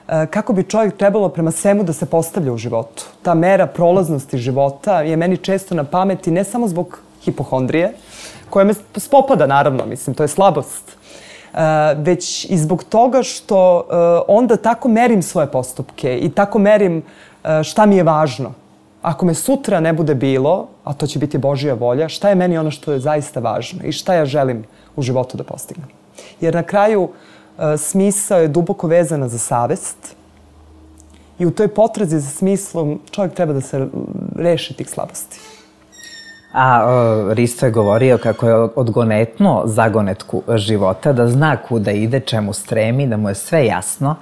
e, kako bi čovjek trebalo prema svemu da se postavlja u životu. Ta mera prolaznosti života je meni često na pameti, ne samo zbog hipohondrije, koja me spopada, naravno, mislim, to je slabost, Uh, već i zbog toga što uh, onda tako merim svoje postupke i tako merim uh, šta mi je važno. Ako me sutra ne bude bilo, a to će biti Božja volja, šta je meni ono što je zaista važno i šta ja želim u životu da postignem. Jer na kraju uh, smisao je duboko vezana za savest i u toj potrazi za smislom čovjek treba da se reši tih slabosti. A o, Risto je govorio kako je odgonetno zagonetku života, da zna kuda ide, čemu stremi, da mu je sve jasno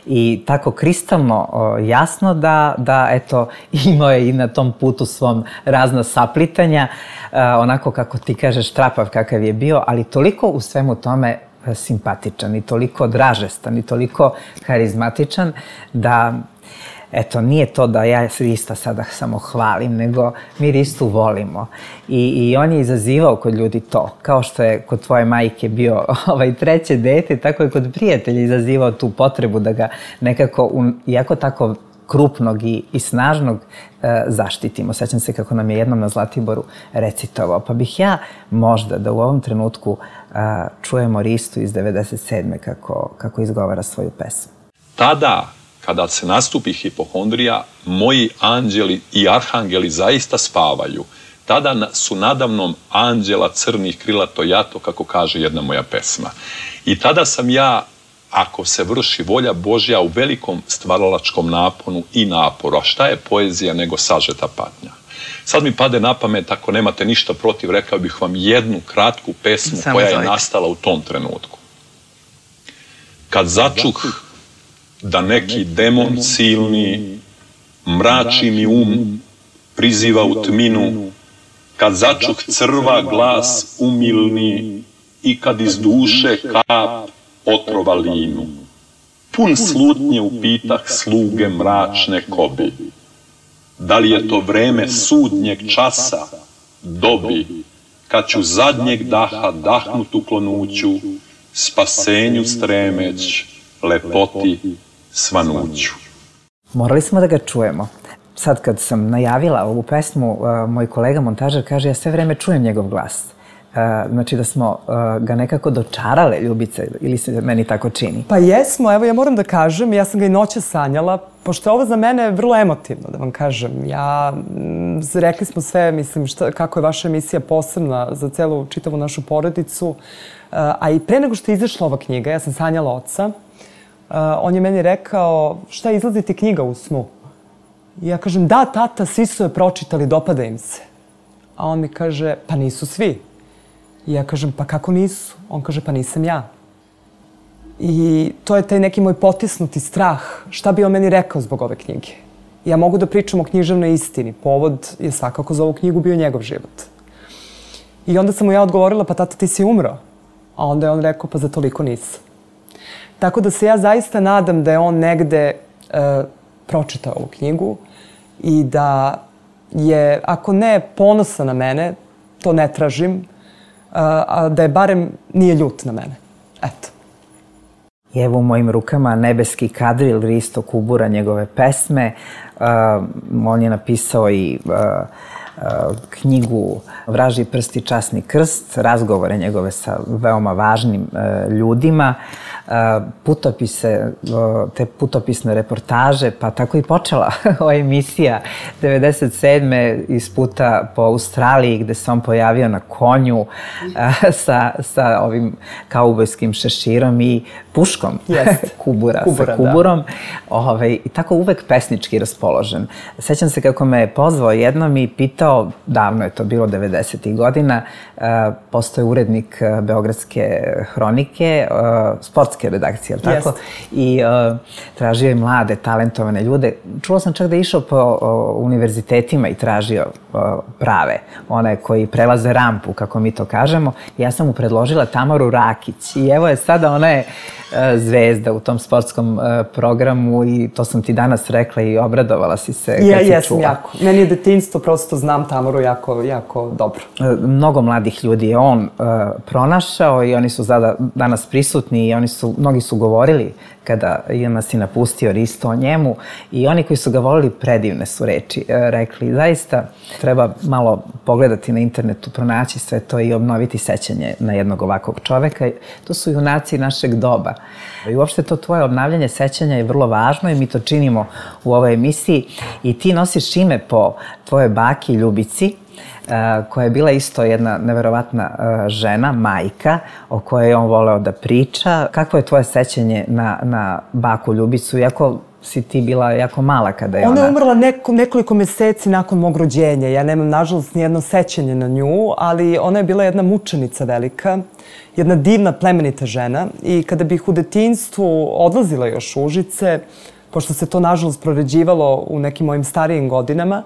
i tako kristalno o, jasno da, da eto, imao je i na tom putu svom razna saplitanja, a, onako kako ti kažeš, trapav kakav je bio, ali toliko u svemu tome simpatičan i toliko dražestan i toliko harizmatičan da... Eto, nije to da ja Rista sada samo hvalim, nego mi Ristu volimo. I, i on je izazivao kod ljudi to. Kao što je kod tvoje majke bio ovaj treće dete, tako je kod prijatelja izazivao tu potrebu da ga nekako, iako tako krupnog i, i snažnog, e, zaštitimo. Sećam se kako nam je jednom na Zlatiboru recitovao. Pa bih ja možda da u ovom trenutku a, čujemo Ristu iz devedeset sedme kako, kako izgovara svoju pesmu. Tada, kada se nastupi hipohondrija, moji anđeli i arhangeli zaista spavaju. Tada su nadamnom anđela crnih krila to jato, kako kaže jedna moja pesma. I tada sam ja, ako se vrši volja Božja, u velikom stvaralačkom naponu i naporu. A šta je poezija nego sažeta patnja? Sad mi pade na pamet, ako nemate ništa protiv, rekao bih vam jednu kratku pesmu Samo koja je zovite. nastala u tom trenutku. Kad začuh da neki demon silni mrači mi um, priziva u tminu, kad začuh crva glas umilni i kad iz duše kap otrova linu. Pun slutnje upitah sluge mračne kobi. Da li je to vreme sudnjeg časa, dobi, kad ću zadnjeg daha dahnut u klonuću, spasenju stremeć, lepoti svanuću. Morali smo da ga čujemo. Sad kad sam najavila ovu pesmu, moj kolega montažer kaže ja sve vreme čujem njegov glas. Znači da smo ga nekako dočarale, Ljubice, ili se meni tako čini? Pa jesmo, evo ja moram da kažem, ja sam ga i noće sanjala, pošto je ovo za mene vrlo emotivno, da vam kažem. Ja, rekli smo sve, mislim, šta, kako je vaša emisija posebna za celu čitavu našu porodicu, a i pre nego što je izašla ova knjiga, ja sam sanjala oca, on je meni rekao, šta izlazi ti knjiga u snu? I ja kažem, da, tata, svi su je pročitali, dopada im se. A on mi kaže, pa nisu svi. I ja kažem, pa kako nisu? On kaže, pa nisam ja. I to je taj neki moj potisnuti strah. Šta bi on meni rekao zbog ove knjige? Ja mogu da pričam o književnoj istini. Povod je svakako za ovu knjigu bio njegov život. I onda sam mu ja odgovorila, pa tata, ti si umro. A onda je on rekao, pa za toliko nisam. Tako da se ja zaista nadam da je on negde e, pročitao ovu knjigu i da je, ako ne ponosa na mene, to ne tražim, a da je barem nije ljut na mene. Eto. I evo u mojim rukama Nebeski kadril Risto Kubura, njegove pesme. On je napisao i knjigu Vražji prst i časni krst, razgovore njegove sa veoma važnim ljudima, putopise, te putopisne reportaže, pa tako i počela ova emisija devedeset sedme iz puta po Australiji, gde se on pojavio na konju sa, sa ovim kaubojskim šeširom i puškom Kubura, Kubura, sa Kuburom. Ove, I tako uvek pesnički raspoložen. Sećam se kako me je pozvao jednom i pitao, davno je to bilo devedesetih godina, postoje urednik Beogradske hronike, sportske redakcije, je li tako? I tražio je mlade, talentovane ljude. Čula sam čak da je išao po univerzitetima i tražio prave, one koji prelaze rampu, kako mi to kažemo. Ja sam mu predložila Tamaru Rakić i evo je sada, ona je zvezda u tom sportskom programu i to sam ti danas rekla i obradovala si se kad si čula. Ja, jesam jako. Meni je detinjstvo, prosto znam Tamaru jako, jako dobro. Mnogo mladih ljudi je on pronašao i oni su danas prisutni i oni su, mnogi su govorili kada je nas i napustio Risto o njemu i oni koji su ga volili, predivne su reči rekli. Zaista treba malo pogledati na internetu, pronaći sve to i obnoviti sećanje na jednog ovakvog čoveka. To su junaci našeg doba. I uopšte to tvoje obnavljanje sećanja je vrlo važno i mi to činimo u ovoj emisiji i ti nosiš ime po tvojoj baki Ljubici, koja je bila isto jedna neverovatna žena, majka, o kojoj je on voleo da priča. Kakvo je tvoje sećanje na, na baku Ljubicu, iako si ti bila jako mala kada je ona... Ona je umrla neko, nekoliko meseci nakon mog rođenja. Ja nemam, nažalost, nijedno sećanje na nju, ali ona je bila jedna mučenica velika, jedna divna, plemenita žena. I kada bih u detinjstvu odlazila još u Užice, pošto se to, nažalost, proređivalo u nekim mojim starijim godinama,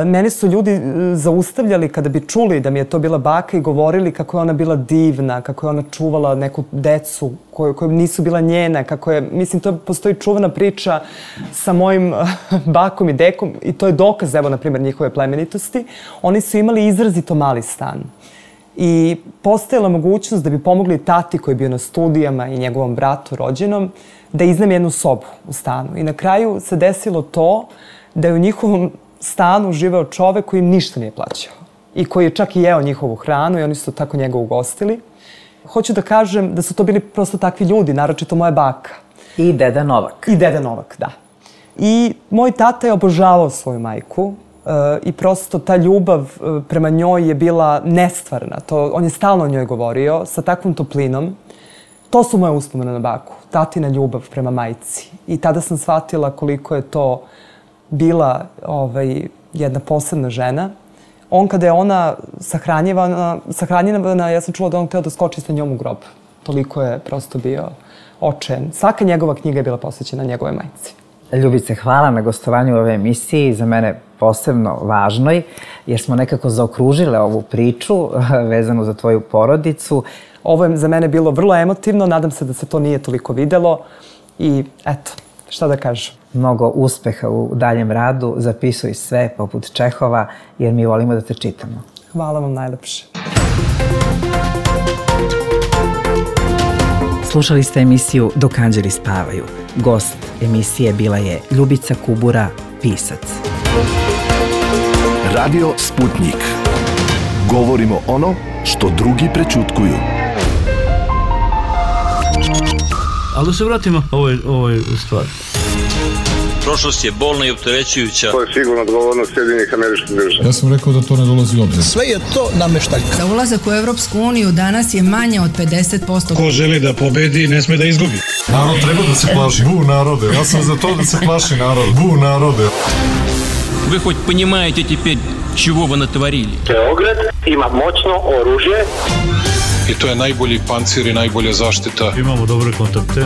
mene su ljudi zaustavljali kada bi čuli da mi je to bila baka i govorili kako je ona bila divna, kako je ona čuvala neku decu koje, koje nisu bila njena, kako je, mislim, to postoji čuvena priča sa mojim bakom i dekom i to je dokaz, evo, na primjer, njihove plemenitosti. Oni su imali izrazito mali stan. I postojala mogućnost da bi pomogli tati koji je bio na studijama i njegovom bratu rođenom da iznajmi jednu sobu u stanu. I na kraju se desilo to da je u njihovom stanu živeo čovek koji im ništa nije plaćao i koji je čak i jeo njihovu hranu i oni su tako njega ugostili. Hoću da kažem da su to bili prosto takvi ljudi, naročito moja baka. I deda Novak. I deda Novak, da. I moj tata je obožavao svoju majku i prosto ta ljubav prema njoj je bila nestvarna. To, on je stalno o njoj govorio sa takvom toplinom. To su moje uspomene na baku, tatina ljubav prema majci. I tada sam shvatila koliko je to bila ovaj, jedna posebna žena. On, kada je ona sahranjivana, sahranjivana, ja sam čula da on hteo da skoči sa njom u grob. Toliko je prosto bio očajan. Svaka njegova knjiga je bila posvećena njegove majci. Ljubice, hvala na gostovanju u ove emisiji, za mene posebno važnoj, jer smo nekako zaokružile ovu priču vezanu za tvoju porodicu. Ovo je za mene bilo vrlo emotivno, nadam se da se to nije toliko videlo i eto, šta da kažem. Mnogo uspeha u daljem radu, zapisuj sve poput Čehova, jer mi volimo da te čitamo. Hvala vam najlepše. Slušali ste emisiju Dok anđeli spavaju. Gost emisije bila je Ljubica Kubura, pisac. Radio Sputnik. Govorimo ono što drugi prećutkuju. Ali da se vratimo ovoj, ovoj stvari. Prošlost je bolna i opterećujuća. To je sigurno odgovornost Sjedinjenih Američkih Država. Ja sam rekao da to ne dolazi u obzir. Sve je to nameštaljka. Za ulazak u Evropsku uniju danas je manje od pedeset posto. Ko želi da pobedi, ne sme da izgubi. Narod treba da se plaši. Bu narode. Ja sam za to da se plaši narod. Bu narode. Вы хоть понимаете теперь, чего вы натворили? Beograd ima moćno oružje. I to je najbolji pancir i najbolja zaštita. Imamo dobre kontakte.